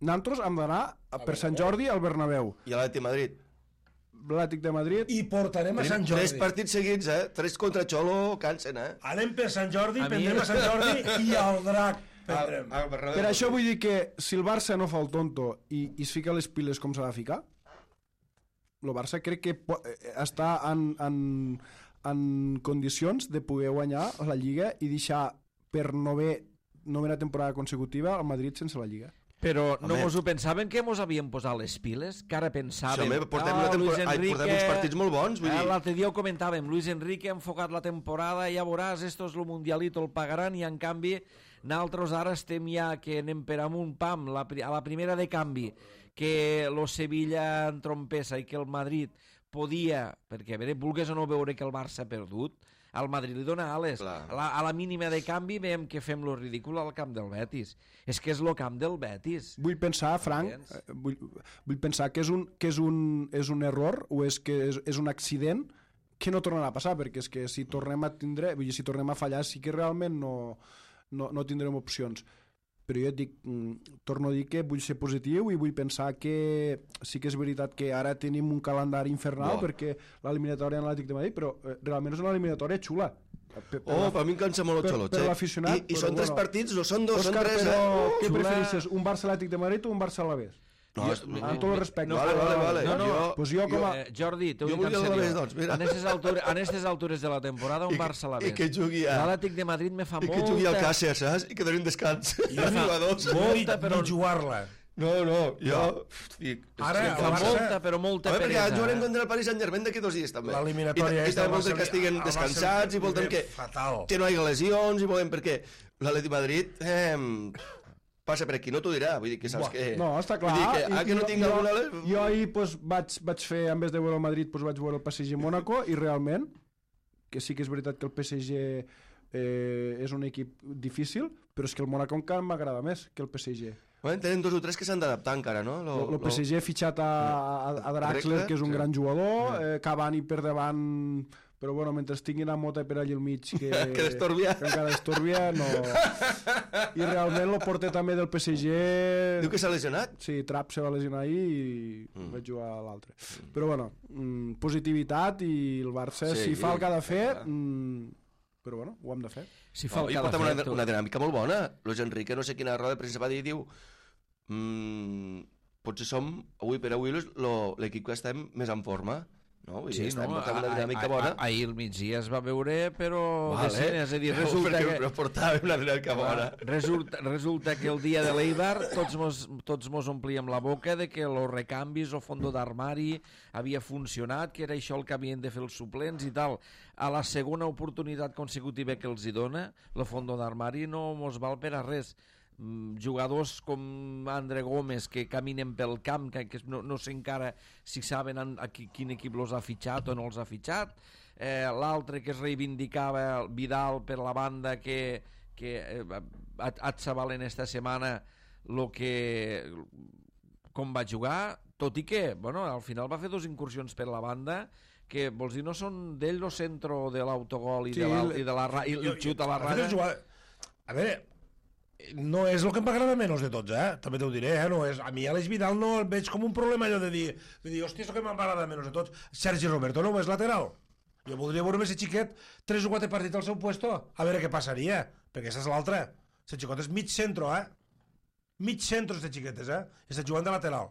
[SPEAKER 6] Nosaltres hem d'anar per Sant Jordi al Bernabéu.
[SPEAKER 2] I a l'Atlètic Madrid.
[SPEAKER 6] L'Atlètic de Madrid.
[SPEAKER 3] I portarem a Sant Jordi.
[SPEAKER 2] 3 partits seguits, 3 contra Xolo, cansen,
[SPEAKER 3] Anem per Sant Jordi, prendrem a Sant Jordi i al Drac.
[SPEAKER 6] Per això vull dir que si el Barça no fa el tonto i es fica les piles com s'ha de ficar, el Barça crec que està en condicions de poder guanyar la Lliga i deixar per novena temporada consecutiva el Madrid sense la Lliga.
[SPEAKER 1] Però no mos ho pensaven que mos havien posat les piles? Que ara pensàvem...
[SPEAKER 2] Sí, portem uns partits molt bons, vull dir...
[SPEAKER 1] L'altre dia ho comentàvem, Luis Enrique ha enfocat la temporada, ja veuràs, esto es lo mundialito, el pagaran, i en canvi nosaltres ara estem ja que anem per amunt, pam, a la primera de canvi, que lo Sevilla entrompessa i que el Madrid podia, perquè a veure, vulgues o no veure que el Barça ha perdut, al Madrid li dona ales. A la mínima de canvi veiem que fem lo ridícul al camp del Betis. És que és lo camp del Betis.
[SPEAKER 6] Vull pensar, Frank, vull pensar que és un error o és que és un accident que no tornarà a passar, perquè és que si tornem a fallar sí que realment no tindrem opcions. Però jo et dic, torno a dir que vull ser positiu i vull pensar que sí que és veritat que ara tenim un calendari infernal perquè l'eliminatòria en l'Atlètic de Madrid, però realment és una eliminatòria xula.
[SPEAKER 2] Per mi em cansa molt el Xolot.
[SPEAKER 6] Per l'aficionat.
[SPEAKER 2] I són 3 partits, no són 2, són 3.
[SPEAKER 6] Però què prefereixes, un Barça Atlètic de Madrid o un Barça Alavés? Amb tot el respecte.
[SPEAKER 2] Vale.
[SPEAKER 1] Jordi, t'ho dic en sèrio. En aquestes altures de la temporada, un Barça a la vez.
[SPEAKER 2] I que jugui
[SPEAKER 1] l'Atlètic de Madrid me fa molta...
[SPEAKER 2] I que jugui al Càcer, saps? I que doni un descans.
[SPEAKER 3] Molta, però jugar-la.
[SPEAKER 2] No, jo...
[SPEAKER 3] Ara,
[SPEAKER 1] fa molta, però molta peresa.
[SPEAKER 2] Perquè jugarem contra el Paris Saint-Germain d'aquí 2 dies, també.
[SPEAKER 3] L'eliminatòria
[SPEAKER 2] I també volen que estiguen descansats, i volen que no hi hagi lesions, i volen perquè l'Atlètic Madrid... passa per aquí, no t'ho dirà, vull dir que saps que...
[SPEAKER 6] No, està clar.
[SPEAKER 2] Que no tinc alguna...
[SPEAKER 6] Jo ahir vaig fer, en vez de veure el Madrid, vaig veure el PSG-Mónaco, i realment, que sí que és veritat que el PSG és un equip difícil, però és que el Mónaco encara m'agrada més que el PSG.
[SPEAKER 2] Tenen 2 o 3 que s'han d'adaptar encara, no?
[SPEAKER 6] El PSG ha fitxat a Draxler, que és un gran jugador, Cavani per davant... Però bueno, mentre tinguin a Mota per allà al mig que encara estorbia, no... I realment el porter també del PSG...
[SPEAKER 2] Diu que s'ha lesionat?
[SPEAKER 6] Sí, Trapp se va lesionar ahir i vaig jugar a l'altre. Però bueno, positivitat, i el Barça, si fa el que ha de fer... Però bueno, ho hem de fer.
[SPEAKER 1] Si fa el que ha de fer...
[SPEAKER 2] Una dinàmica molt bona. Luis Enrique, no sé quina roda de premsa va dir, diu... Potser som, avui per avui, l'equip que estem més en forma. No?
[SPEAKER 1] Sí, una dinàmica bona. Ahir al migdia es va veure, però és a dir, resulta
[SPEAKER 2] però portàvem una dinàmica bona.
[SPEAKER 1] Resulta que el dia de l'Eibar tots mos omplíem la boca de que els recanvis o fondo d'armari havia funcionat, que era això el que havien de fer els suplents i tal. A la segona oportunitat consecutiva que els hi dona, el fondo d'armari no mos val per a res. jugadors com Andre Gómez que caminen pel camp, que no sé encara si saben quin equip els ha fitxat o no els ha fitxat, l'altre que es reivindicava, Vidal, per la banda, que Atzabal en esta setmana com va jugar, tot i que al final va fer 2 incursions per la banda que, vols dir, no són d'ell el centre de l'autogol i el xut a la raya.
[SPEAKER 3] A veure, no és el que m'agrada menys de tots, també t'ho diré, no és, a mi Àlex Vidal no el veig com un problema allò de dir, hòstia, és el que m'agrada menys de tots. Sergi Roberto no és lateral, jo voldria veure més xiquet 3 o 4 partits al seu puesto, a veure què passaria, perquè aquesta és l'altra. Aquest xicot és mig centro, mig centro este xiquet, està jugant de lateral,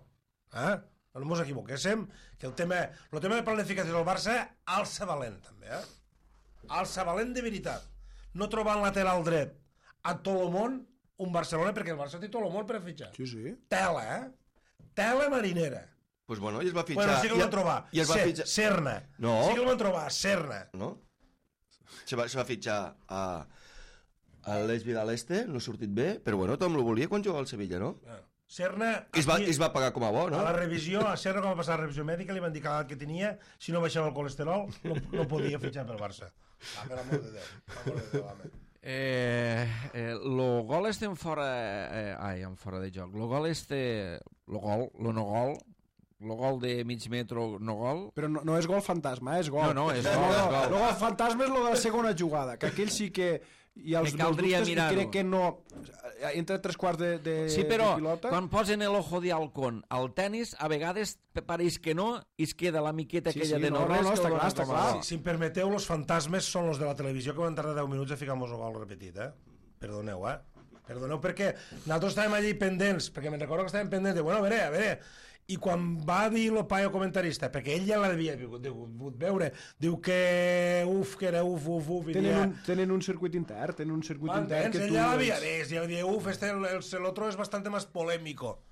[SPEAKER 3] no mos equivoquéssim, que el tema de planificació del Barça alça valent també, alça valent de veritat, no trobant lateral dret a Tolomón un Barcelona, perquè el Barça té Tolomón per a fitxar.
[SPEAKER 6] Sí.
[SPEAKER 3] Tela, tela marinera.
[SPEAKER 2] Pues bueno, i es va fitxar...
[SPEAKER 3] Bueno, sí que el van trobar.
[SPEAKER 2] I es va fitxar...
[SPEAKER 3] Serna.
[SPEAKER 2] No.
[SPEAKER 3] Sí que el van trobar, Serna.
[SPEAKER 2] No? Se va fitxar a l'Eix Vidal no ha sortit bé, però bueno, tothom lo volia quan jugava al Sevilla, no?
[SPEAKER 3] Serna...
[SPEAKER 2] I es va pagar com a bo, no?
[SPEAKER 3] A la revisió, a Serna, quan va passar la revisió mèdica, li van dir que l'edat que tenia, si no baixava el colesterol, no podia fitxar pel Barça. Per l'amor de Déu, home.
[SPEAKER 1] Lo gol este en fora de joc, lo gol este lo gol de mig metro, no gol,
[SPEAKER 6] però no és gol fantasma, és gol.
[SPEAKER 1] No, és gol.
[SPEAKER 6] El gol fantasma és lo de la segona jugada, que aquell sí que hi ha els
[SPEAKER 1] caldria
[SPEAKER 6] dubtes, i crec que no entre 3/4 de
[SPEAKER 1] sí, però
[SPEAKER 6] pilota.
[SPEAKER 1] quan posen el ojo de halcón al tenis, a vegades pareix que no i es queda la miqueta aquella de no res.
[SPEAKER 6] No, està clar.
[SPEAKER 3] Si em permeteu, los fantasmes són los de la televisió que van tardar 10 minuts a ficar-nos el gol repetit, Perdoneu, Perdoneu, perquè nosaltres estàvem allí pendents, perquè me'n recordo que estàvem pendents de, bueno, a veure, i quan va dir el paio comentarista, perquè ell ja l'havia pogut veure, diu que que era uf.
[SPEAKER 6] Tenen un circuit intern, que
[SPEAKER 3] ell ja l'havia vist, ja dir, el otro es bastante más polémico.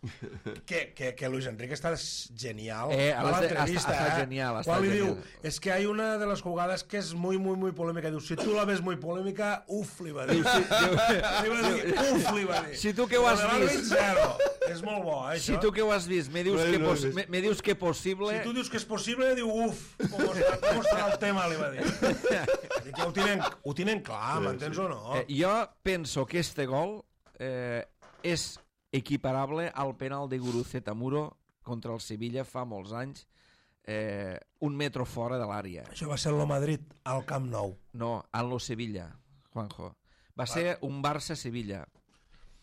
[SPEAKER 3] Que Luis Enrique está genial a la entrevista,
[SPEAKER 1] está genial.
[SPEAKER 3] Quan li diu, es que hay una de las jugadas que es muy, muy, muy polémica, diu, si tu la ves muy polémica, li va dir. Li va dir.
[SPEAKER 1] Si tu que ho has vist...
[SPEAKER 3] És molt bo, això.
[SPEAKER 1] Si tu que ho has vist, me dius que possible...
[SPEAKER 3] Si tu dius que és possible, diu, com estarà el tema, li va dir. Que ho tenen clar, m'entens o no?
[SPEAKER 1] Jo penso que este gol és equiparable al penal de Guruceta Muro contra el Sevilla fa molts anys, 1 metro fora de l'àrea.
[SPEAKER 3] Això va ser el Madrid al Camp Nou.
[SPEAKER 1] No, al Sevilla, Juanjo. Va ser un Barça-Sevilla,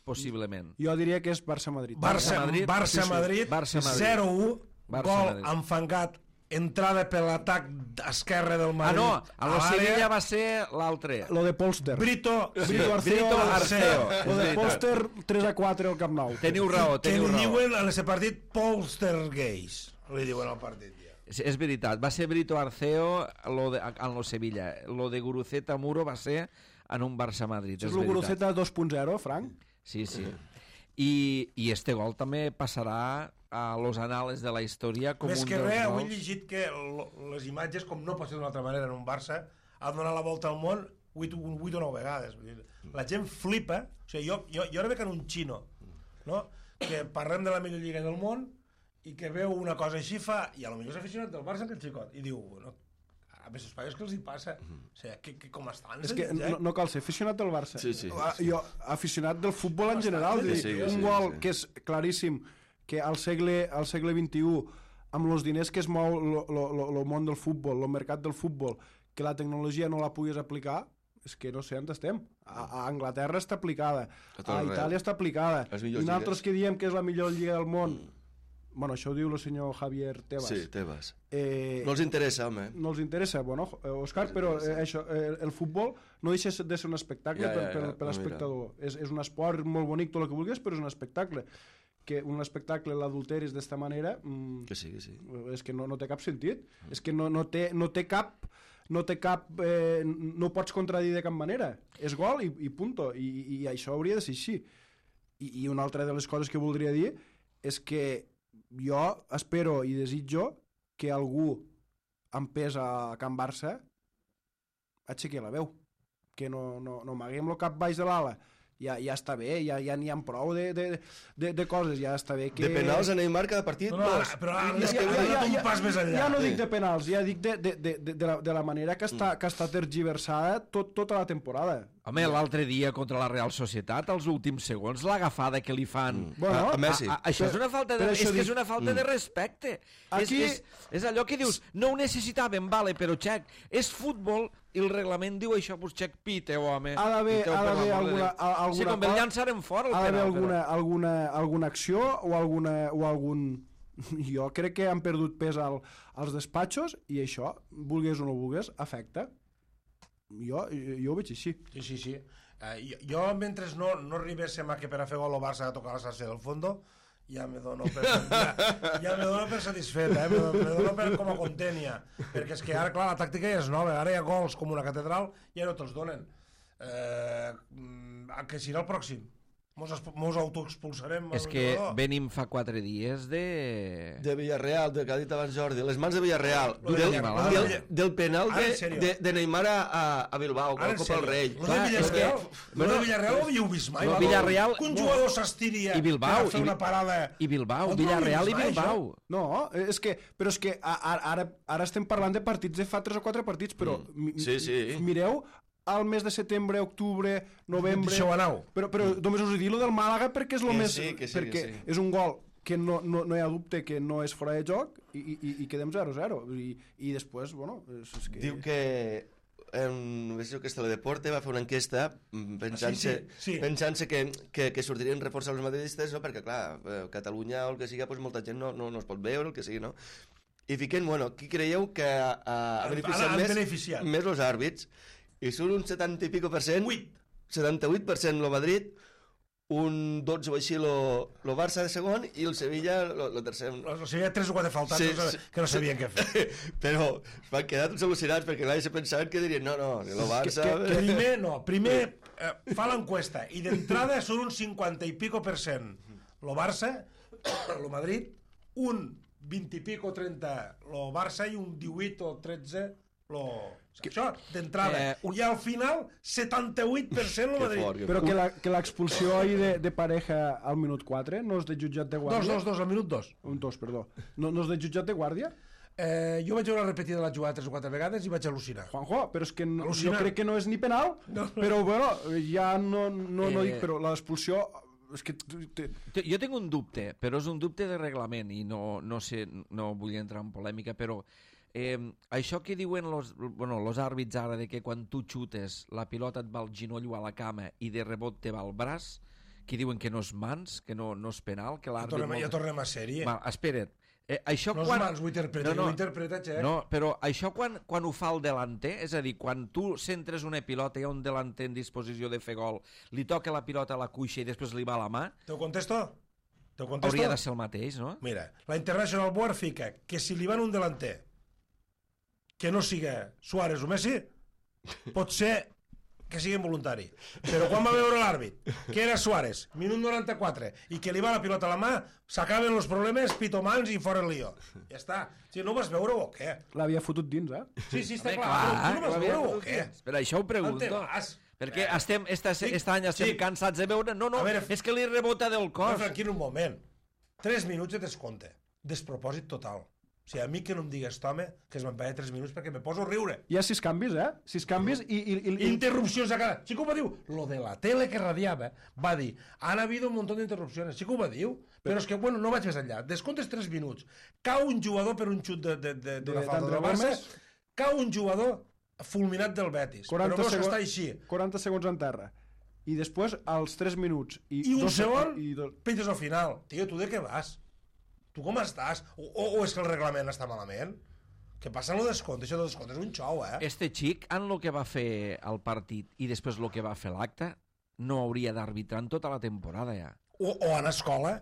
[SPEAKER 1] possiblement.
[SPEAKER 6] Jo diria que és Barça-Madrid.
[SPEAKER 3] Barça-Madrid, 0-1, gol enfangat, entrada per l'atac esquerre del Madrid.
[SPEAKER 1] A Sevilla va ser l'altre.
[SPEAKER 6] Lo de Polster.
[SPEAKER 3] Brito
[SPEAKER 1] Arceo.
[SPEAKER 6] Lo de Polster 3-4 al Camp Nou.
[SPEAKER 1] Teniu raó.
[SPEAKER 3] Que li diuen en aquest partit Polstergeist. Li diuen al partit.
[SPEAKER 1] És veritat, va ser Brito Arceo en lo Sevilla. Lo de Guruceta Muro va ser en un Barça-Madrid.
[SPEAKER 6] És el Guruceta 2.0, Frank?
[SPEAKER 1] Sí. I este gol també passarà a los anales de la història com
[SPEAKER 3] més
[SPEAKER 1] un
[SPEAKER 3] que
[SPEAKER 1] dels
[SPEAKER 3] res,
[SPEAKER 1] gols.
[SPEAKER 3] avui he llegit que les imatges, com no pot ser d'una altra manera en un Barça, han donat la volta al món 8 o 9 vegades. La gent flipa. O sigui, jo ara veig en un xino, no? Que parlem de la millor lliga del món i que veu una cosa així fa, i a lo millor és aficionat del Barça aquest xicot, i diu, bueno, a més els paios que els hi passa, o sigui, que com estan?
[SPEAKER 6] És que no cal ser aficionat del Barça.
[SPEAKER 2] Sí.
[SPEAKER 6] Jo, aficionat del futbol en general, un gol que és claríssim, que al segle XXI, amb els diners que es mou el món del futbol, el mercat del futbol, que la tecnologia no la puguis aplicar, és que no sé on estem. A Anglaterra està aplicada, a Itàlia està aplicada, i nosaltres que diem que és la millor lliga del món, bueno, això ho diu el senyor Javier Tebas.
[SPEAKER 2] Sí, Tebas. No els interessa, home.
[SPEAKER 6] No els interessa, bueno, Òscar, però això, el futbol no deixa de ser un espectacle per l'espectador. És un esport molt bonic, tot el que vulguis, però és un espectacle. Que un espectacle l'adulteris d'esta manera...
[SPEAKER 2] Que sí.
[SPEAKER 6] És que no té cap sentit. És que no té cap... no pots contradir de cap manera. És gol i punto. I això hauria de ser així. I una altra de les coses que voldria dir és que jo espero i desitjo que algú amb pes a Can Barça aixequi la veu, que no m'haguem el cap baix de l'ala, ja està bé, ja n'hi ha prou de coses, ja està bé que...
[SPEAKER 2] De penals a Neymar cada partit,
[SPEAKER 3] però ara un pas més enllà.
[SPEAKER 6] Ja no dic de penals, ja dic de la manera que està tergiversada tota la temporada.
[SPEAKER 1] Home, l'altre dia contra la Real Societat, als últims segons, l'agafada que li fan
[SPEAKER 2] a Messi.
[SPEAKER 1] Això és una falta és una falta de respecte. És allò que dius, no ho necessitàvem, vale, però Xec, és futbol i el reglament diu això, doncs Xec, pite-ho, home.
[SPEAKER 6] Ha d'haver alguna
[SPEAKER 1] sí, com el llançarem fora el penal.
[SPEAKER 6] Ha d'haver alguna acció o algun... Jo crec que han perdut pes als despatxos i això, vulgués o no vulgués, afecta. Jo ho veig així.
[SPEAKER 3] Sí. Jo, mentre no arribéssim a que per a fer gol el Barça ha de tocar la xarxa del fondo, ja me dono per satisfet, me dono com a content ja, perquè és que ara, clar, la tàctica ja és nova, ara hi ha gols com una catedral, ja no te'ls donen. Que serà el pròxim? Mos autoexpulsarem.
[SPEAKER 1] És que venim fa 4 dies
[SPEAKER 2] de Villarreal, del que ha dit abans Jordi, les mans de Villarreal, del penal de Neymar a Bilbao, que ocupa el Rei.
[SPEAKER 3] Lo de Villarreal ho havíeu vist mai?
[SPEAKER 1] Villarreal...
[SPEAKER 3] Que un jugador s'estiria per fer una parada...
[SPEAKER 1] I Bilbao, Villarreal i Bilbao.
[SPEAKER 6] No, però és que ara estem parlant de partits de fa 3 o 4 partits, però mireu al mes de setembre, octubre, novembre... Però només us he dit lo del Màlaga perquè és el més... Perquè és un gol que no hi ha dubte que no és fora de joc i quedem 0-0. I després, bueno...
[SPEAKER 2] Diu que que Teledeporte va fer una enquesta pensant-se que sortirien reforçar els madridistes, perquè clar, Catalunya o el que sigui, molta gent no es pot veure, el que sigui, no? I fiquen, qui creieu que ha beneficiat més els àrbits? I són un 70 i pico %, 78% el Madrid, un 12 o així el Barça de segon i el Sevilla el tercer.
[SPEAKER 3] El Sevilla 3 o 4 faltats que no sabien què fer.
[SPEAKER 2] Però van quedar tots al·lucinats perquè se pensaven que dirien no, el Barça...
[SPEAKER 3] Primer fa l'enquesta i d'entrada són un 50 i pico %. El Barça, el Madrid, un 20 i pico 30 el Barça i un 18 o 13 això, d'entrada. I al final 78% el Madrid.
[SPEAKER 6] Però que l'expulsió ahir de Pareja al minut 4 no és de jutjat de guàrdia?
[SPEAKER 3] 2, al minut 2.
[SPEAKER 6] Un 2, perdó. No és de jutjat de guàrdia?
[SPEAKER 3] Jo vaig veure la repetida de la jugada 3 o 4 vegades i vaig al·lucinar.
[SPEAKER 6] Juanjo, però és que jo crec que no és ni penal, però bueno, ja no dic, però l'expulsió...
[SPEAKER 1] Jo tinc un dubte, però és un dubte de reglament i no sé, no vull entrar en polèmica, però això que diuen los àrbits ara, de que quan tu xutes la pilota et va al ginoll o a la cama i de rebot te va al braç, que diuen que no és mans, que no és penal, que l'àrbit...
[SPEAKER 3] Ja tornem a sèrie.
[SPEAKER 1] Espera't.
[SPEAKER 3] No és mans, ho interpreta, Xec.
[SPEAKER 1] No, però això quan ho fa el delanter, és a dir, quan tu centres una pilota i hi ha un delanter en disposició de fer gol, li toca la pilota a la cuixa i després li va a la mà...
[SPEAKER 3] Te ho contesto?
[SPEAKER 1] Hauria de ser el mateix, no?
[SPEAKER 3] Mira, la International Board fica que si li van un delanter que no siga Suárez o Messi, pot ser que sigui involuntari. Però quan va veure l'àrbit, que era Suárez, minut 94, i que li va la pilota a la mà, s'acaben els problemes, pitomans i fora el lío. Ja està. Si no vas veure o què?
[SPEAKER 6] L'havia fotut dins,
[SPEAKER 3] Sí, està clar. Tu no vas veure o què?
[SPEAKER 1] Per això ho pregunto. Perquè aquest any estem cansats de veure... No, és que li rebota del cos.
[SPEAKER 3] Tranquil, un moment. 3 minuts de descompte. Despropòsit total. O sigui, a mi que no em digues, home, que es m'empaia 3 minuts perquè me poso a riure.
[SPEAKER 6] Hi ha 6 canvis, 6 canvis i...
[SPEAKER 3] Interrupcions a cada... Sí que ho va dir. Lo de la tele que radiava va dir, han habido un montón d'interrupcions. Sí que ho va dir. Però és que, bueno, no vaig més enllà. Descomptes 3 minuts. Cau un jugador per un xut d'una falta del Barça. Cau un jugador fulminat del Betis. Però veus que està així.
[SPEAKER 6] 40 segons en terra. I després, als 3 minuts...
[SPEAKER 3] I un segon, penges al final. Tio, tu de què vas? Tu com estàs? O és que el reglament està malament? Què passa amb el descompte? Això del descompte és un xou,
[SPEAKER 1] Este xic, en el que va fer el partit i després el que va fer l'acte, no hauria d'arbitrar en tota la temporada, ja.
[SPEAKER 3] O a l'escola.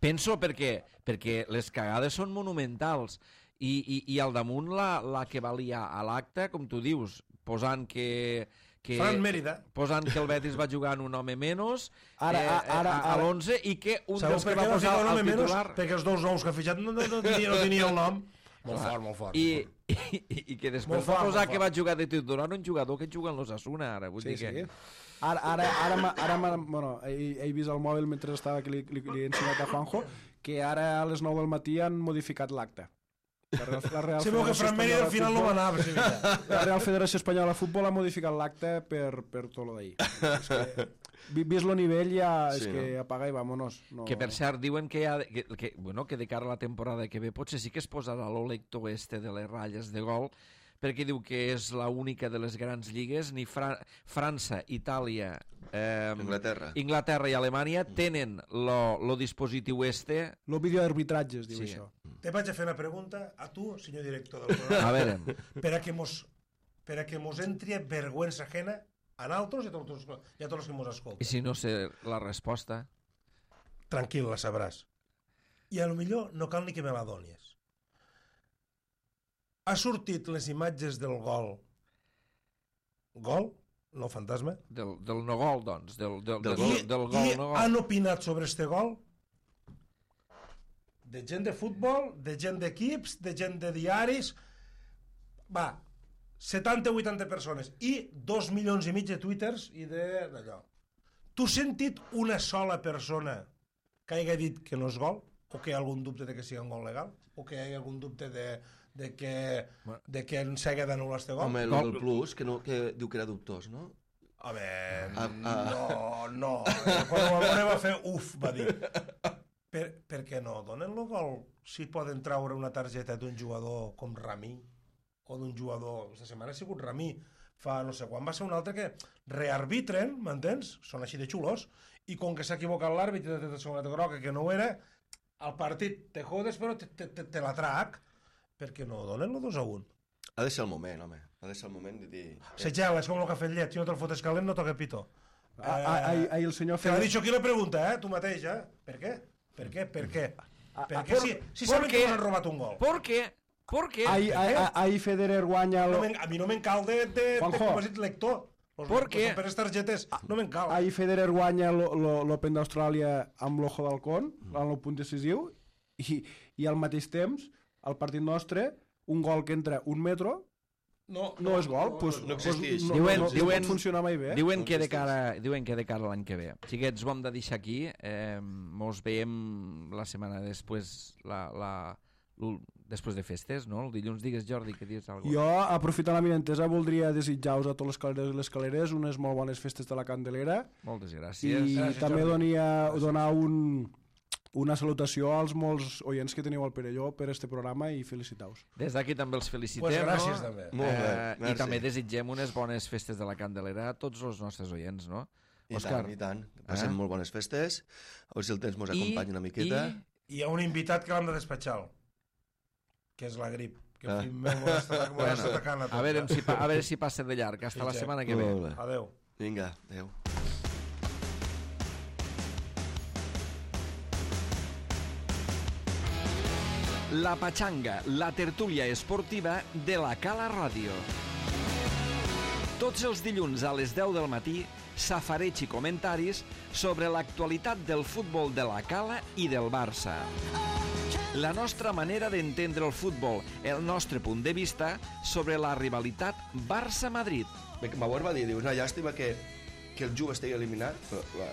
[SPEAKER 1] Penso perquè les cagades són monumentals i al damunt la que valia a l'acte, com tu dius, posant que
[SPEAKER 3] Fran Mérida.
[SPEAKER 1] Posant que el Betis va jugar en un home menys a l'11 i que un dels que va posar el titular...
[SPEAKER 3] Perquè els 2 nous que ha fitxat no tenia el nom. Molt fort.
[SPEAKER 1] i que després
[SPEAKER 3] Molt fort,
[SPEAKER 1] va posar
[SPEAKER 3] molt
[SPEAKER 1] que
[SPEAKER 3] fort.
[SPEAKER 1] va jugar de titular un jugador que juga en l'Osasuna ara, vull dir que...
[SPEAKER 6] Bueno, he vist el mòbil mentre estava que li he ensenyat a Juanjo que ara a les 9 del matí han modificat l'acte. La Real
[SPEAKER 3] Se veu que Fran Mèria al final no va anar a Sevilla.
[SPEAKER 6] La Real Federació Espanyola de Futbol ha modificat l'acte per tot lo d'ahir. És que, vist lo nivell ja és
[SPEAKER 2] Sí,
[SPEAKER 6] que
[SPEAKER 2] no?
[SPEAKER 6] apaga i vámonos. No.
[SPEAKER 1] Que per cert diuen que, que de cara a la temporada que ve potser sí que es posarà l'olector este de les ratlles de gol, perquè diu que és la única de les grans lligues, ni França, Itàlia, Inglaterra i Alemanya tenen lo dispositiu este.
[SPEAKER 6] Lo videoarbitratge es diu
[SPEAKER 1] Sí.
[SPEAKER 6] això.
[SPEAKER 3] Te vaig a fer una pregunta a tu, senyor director del programa,
[SPEAKER 1] A veure,
[SPEAKER 3] per a que mos entri vergüenza ajena a nosaltres i a tots els que mos
[SPEAKER 1] i
[SPEAKER 3] escolten.
[SPEAKER 1] si no sé la resposta?
[SPEAKER 3] Tranquil, la sabràs. I a lo millor no cal ni que me la donis. Ha sortit les imatges del gol. Gol? No fantasma?
[SPEAKER 1] Del no gol, doncs. Del
[SPEAKER 3] I
[SPEAKER 1] gol no
[SPEAKER 3] han
[SPEAKER 1] gol.
[SPEAKER 3] opinat sobre este gol de gent de futbol, de gent d'equips, de gent de diaris. Va, 70-80 persones i 2 milions i mig de twitters i d'allò. Tu has sentit una sola persona que hagi dit que no és gol? O que hi ha algun dubte de que sigui un gol legal? O que hi hagi algun dubte de que s'hagi d'anul·lar este gol?
[SPEAKER 2] Home, el del Plus, que diu que era dubtós, no?
[SPEAKER 3] Home, no. Quan el Valone va fer uf, va dir. Per què no donen el gol si poden traure una targeta d'un jugador com Ramí o d'un jugador, aquesta setmana ha sigut Ramí, fa no sé quan va ser un altre que rearbitren, m'entens? Són així de xulos, i com que s'ha equivocat l'àrbit i de segona groga que no ho era, al partit te jodes però te la trac, perquè no donen el 2-1.
[SPEAKER 2] Ha de ser el moment, home. Ha de ser el moment de dir...
[SPEAKER 3] Se gela, és com el cafè llet, si no te'l fotes calent no toca pito.
[SPEAKER 6] Ahir el senyor
[SPEAKER 3] Te l'ha dit aquí la pregunta, tu mateix, Per què? Per què? Perquè si saben que us han robat un gol.
[SPEAKER 1] ¿Por qué?
[SPEAKER 6] Ahir Federer guanya...
[SPEAKER 3] A mi no me'n cal de
[SPEAKER 6] Juanjo.
[SPEAKER 3] com has dit, lector.
[SPEAKER 1] ¿Por qué?
[SPEAKER 3] Per les targetes, no me'n cal.
[SPEAKER 6] Ahir Federer guanya l'Open d'Austràlia amb l'Ojo d'Halcón, en el punt decisiu, i al mateix temps, al partit nostre, un gol que entra un metro no és gol,
[SPEAKER 2] no existeix.
[SPEAKER 6] no pot funcionar mai bé.
[SPEAKER 1] Diuen que de cara a l'any que ve. Xiquets, ho hem de deixar aquí. Mos veiem la setmana després, després de festes, no? El dilluns, digues, Jordi, que dius alguna cosa.
[SPEAKER 6] Jo, aprofitant la minentesa, voldria desitjar-vos a tots els calerers i les caleres unes molt bones festes de la Candelera
[SPEAKER 1] Moltes
[SPEAKER 6] i
[SPEAKER 1] gràcies.
[SPEAKER 6] també donar una salutació als molts oients que teniu al Perelló per este programa i felicitar-vos.
[SPEAKER 1] Des d'aquí també els felicitem.
[SPEAKER 3] Pues gràcies,
[SPEAKER 1] no?
[SPEAKER 3] també.
[SPEAKER 2] Molt bé,
[SPEAKER 1] I
[SPEAKER 2] merci.
[SPEAKER 1] també desitgem unes bones festes de la Candelera a tots els nostres oients, no? Òscar.
[SPEAKER 2] I tant. Passem molt bones festes. A veure si el temps mos acompanya una miqueta.
[SPEAKER 3] I hi ha un invitat que l'hem de despatxar, que és la grip. Que el fill meu m'està atacant a tot.
[SPEAKER 1] A veure si passa de llarg. Hasta la setmana que ve.
[SPEAKER 2] Molt bé.
[SPEAKER 3] Adéu.
[SPEAKER 2] Vinga, adéu.
[SPEAKER 1] La Pachanga, la tertúlia esportiva de la Cala Ràdio. Tots els dilluns a les 10 del matí, safareig i comentaris sobre l'actualitat del futbol de la Cala i del Barça. La nostra manera d'entendre el futbol, el nostre punt de vista sobre la rivalitat Barça-Madrid.
[SPEAKER 2] Bauer va dir, diu, una llàstima que el Juve estigui eliminat,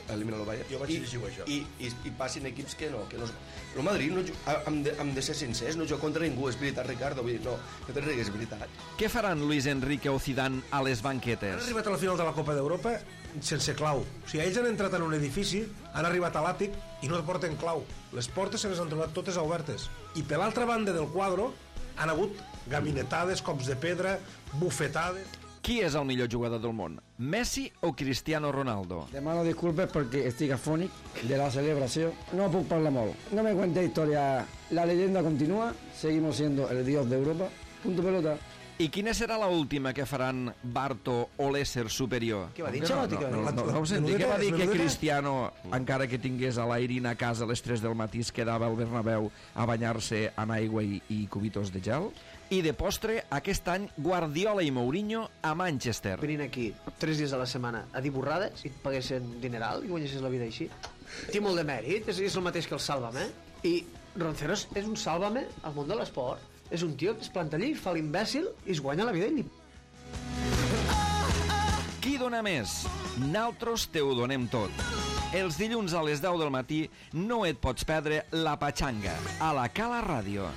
[SPEAKER 2] elimina el Bayern,
[SPEAKER 3] Jo vaig llegir això.
[SPEAKER 2] i passin equips que no. El Madrid, hem de ser sincers, no juga contra ningú, és veritat, Ricardo, vull dir, no te rigues, és veritat.
[SPEAKER 1] Què faran Luis Enrique o Zidane a les
[SPEAKER 3] Han
[SPEAKER 1] banquetes?
[SPEAKER 3] arribat a la final de la Copa d'Europa sense clau. O sigui, ells han entrat en un edifici, han arribat a l'àtic i no porten clau. Les portes se les han trobat totes obertes. I per l'altra banda del quadre han hagut gabinetades, cops de pedra, bufetades...
[SPEAKER 1] Qui és el millor jugador del món? Messi o Cristiano Ronaldo?
[SPEAKER 4] Demano disculpes porque estoy afónic de la celebración. No puedo hablar molt. No me cuente historia. La leyenda continúa. Seguimos siendo el dios de Europa. Punto pelota.
[SPEAKER 1] I quina serà la última que faran Barto o l'ésser superior?
[SPEAKER 5] Què va dir, Xalotti?
[SPEAKER 1] No ho senti, què va dir que Cristiano, encara que tingués a l'Airin a casa a les 3 del matí, es quedava al Bernabéu a banyar-se en aigua i cubitos de gel? I de postre, aquest any, Guardiola i Mourinho a Manchester.
[SPEAKER 5] Venint aquí 3 dies a la setmana a dir borrades i et paguessin dineral i guanyessis la vida així. Té molt de mèrit, és el mateix que el Sálvame. I Ronceros és un Sálvame al món de l'esport. És un tio que es planta allí, fa l'imbècil i es guanya la vida ell.
[SPEAKER 1] Qui dona més? Naltros te ho donem tot. Els dilluns a les 10 del matí no et pots perdre La Patxanga, a la Cala Ràdio.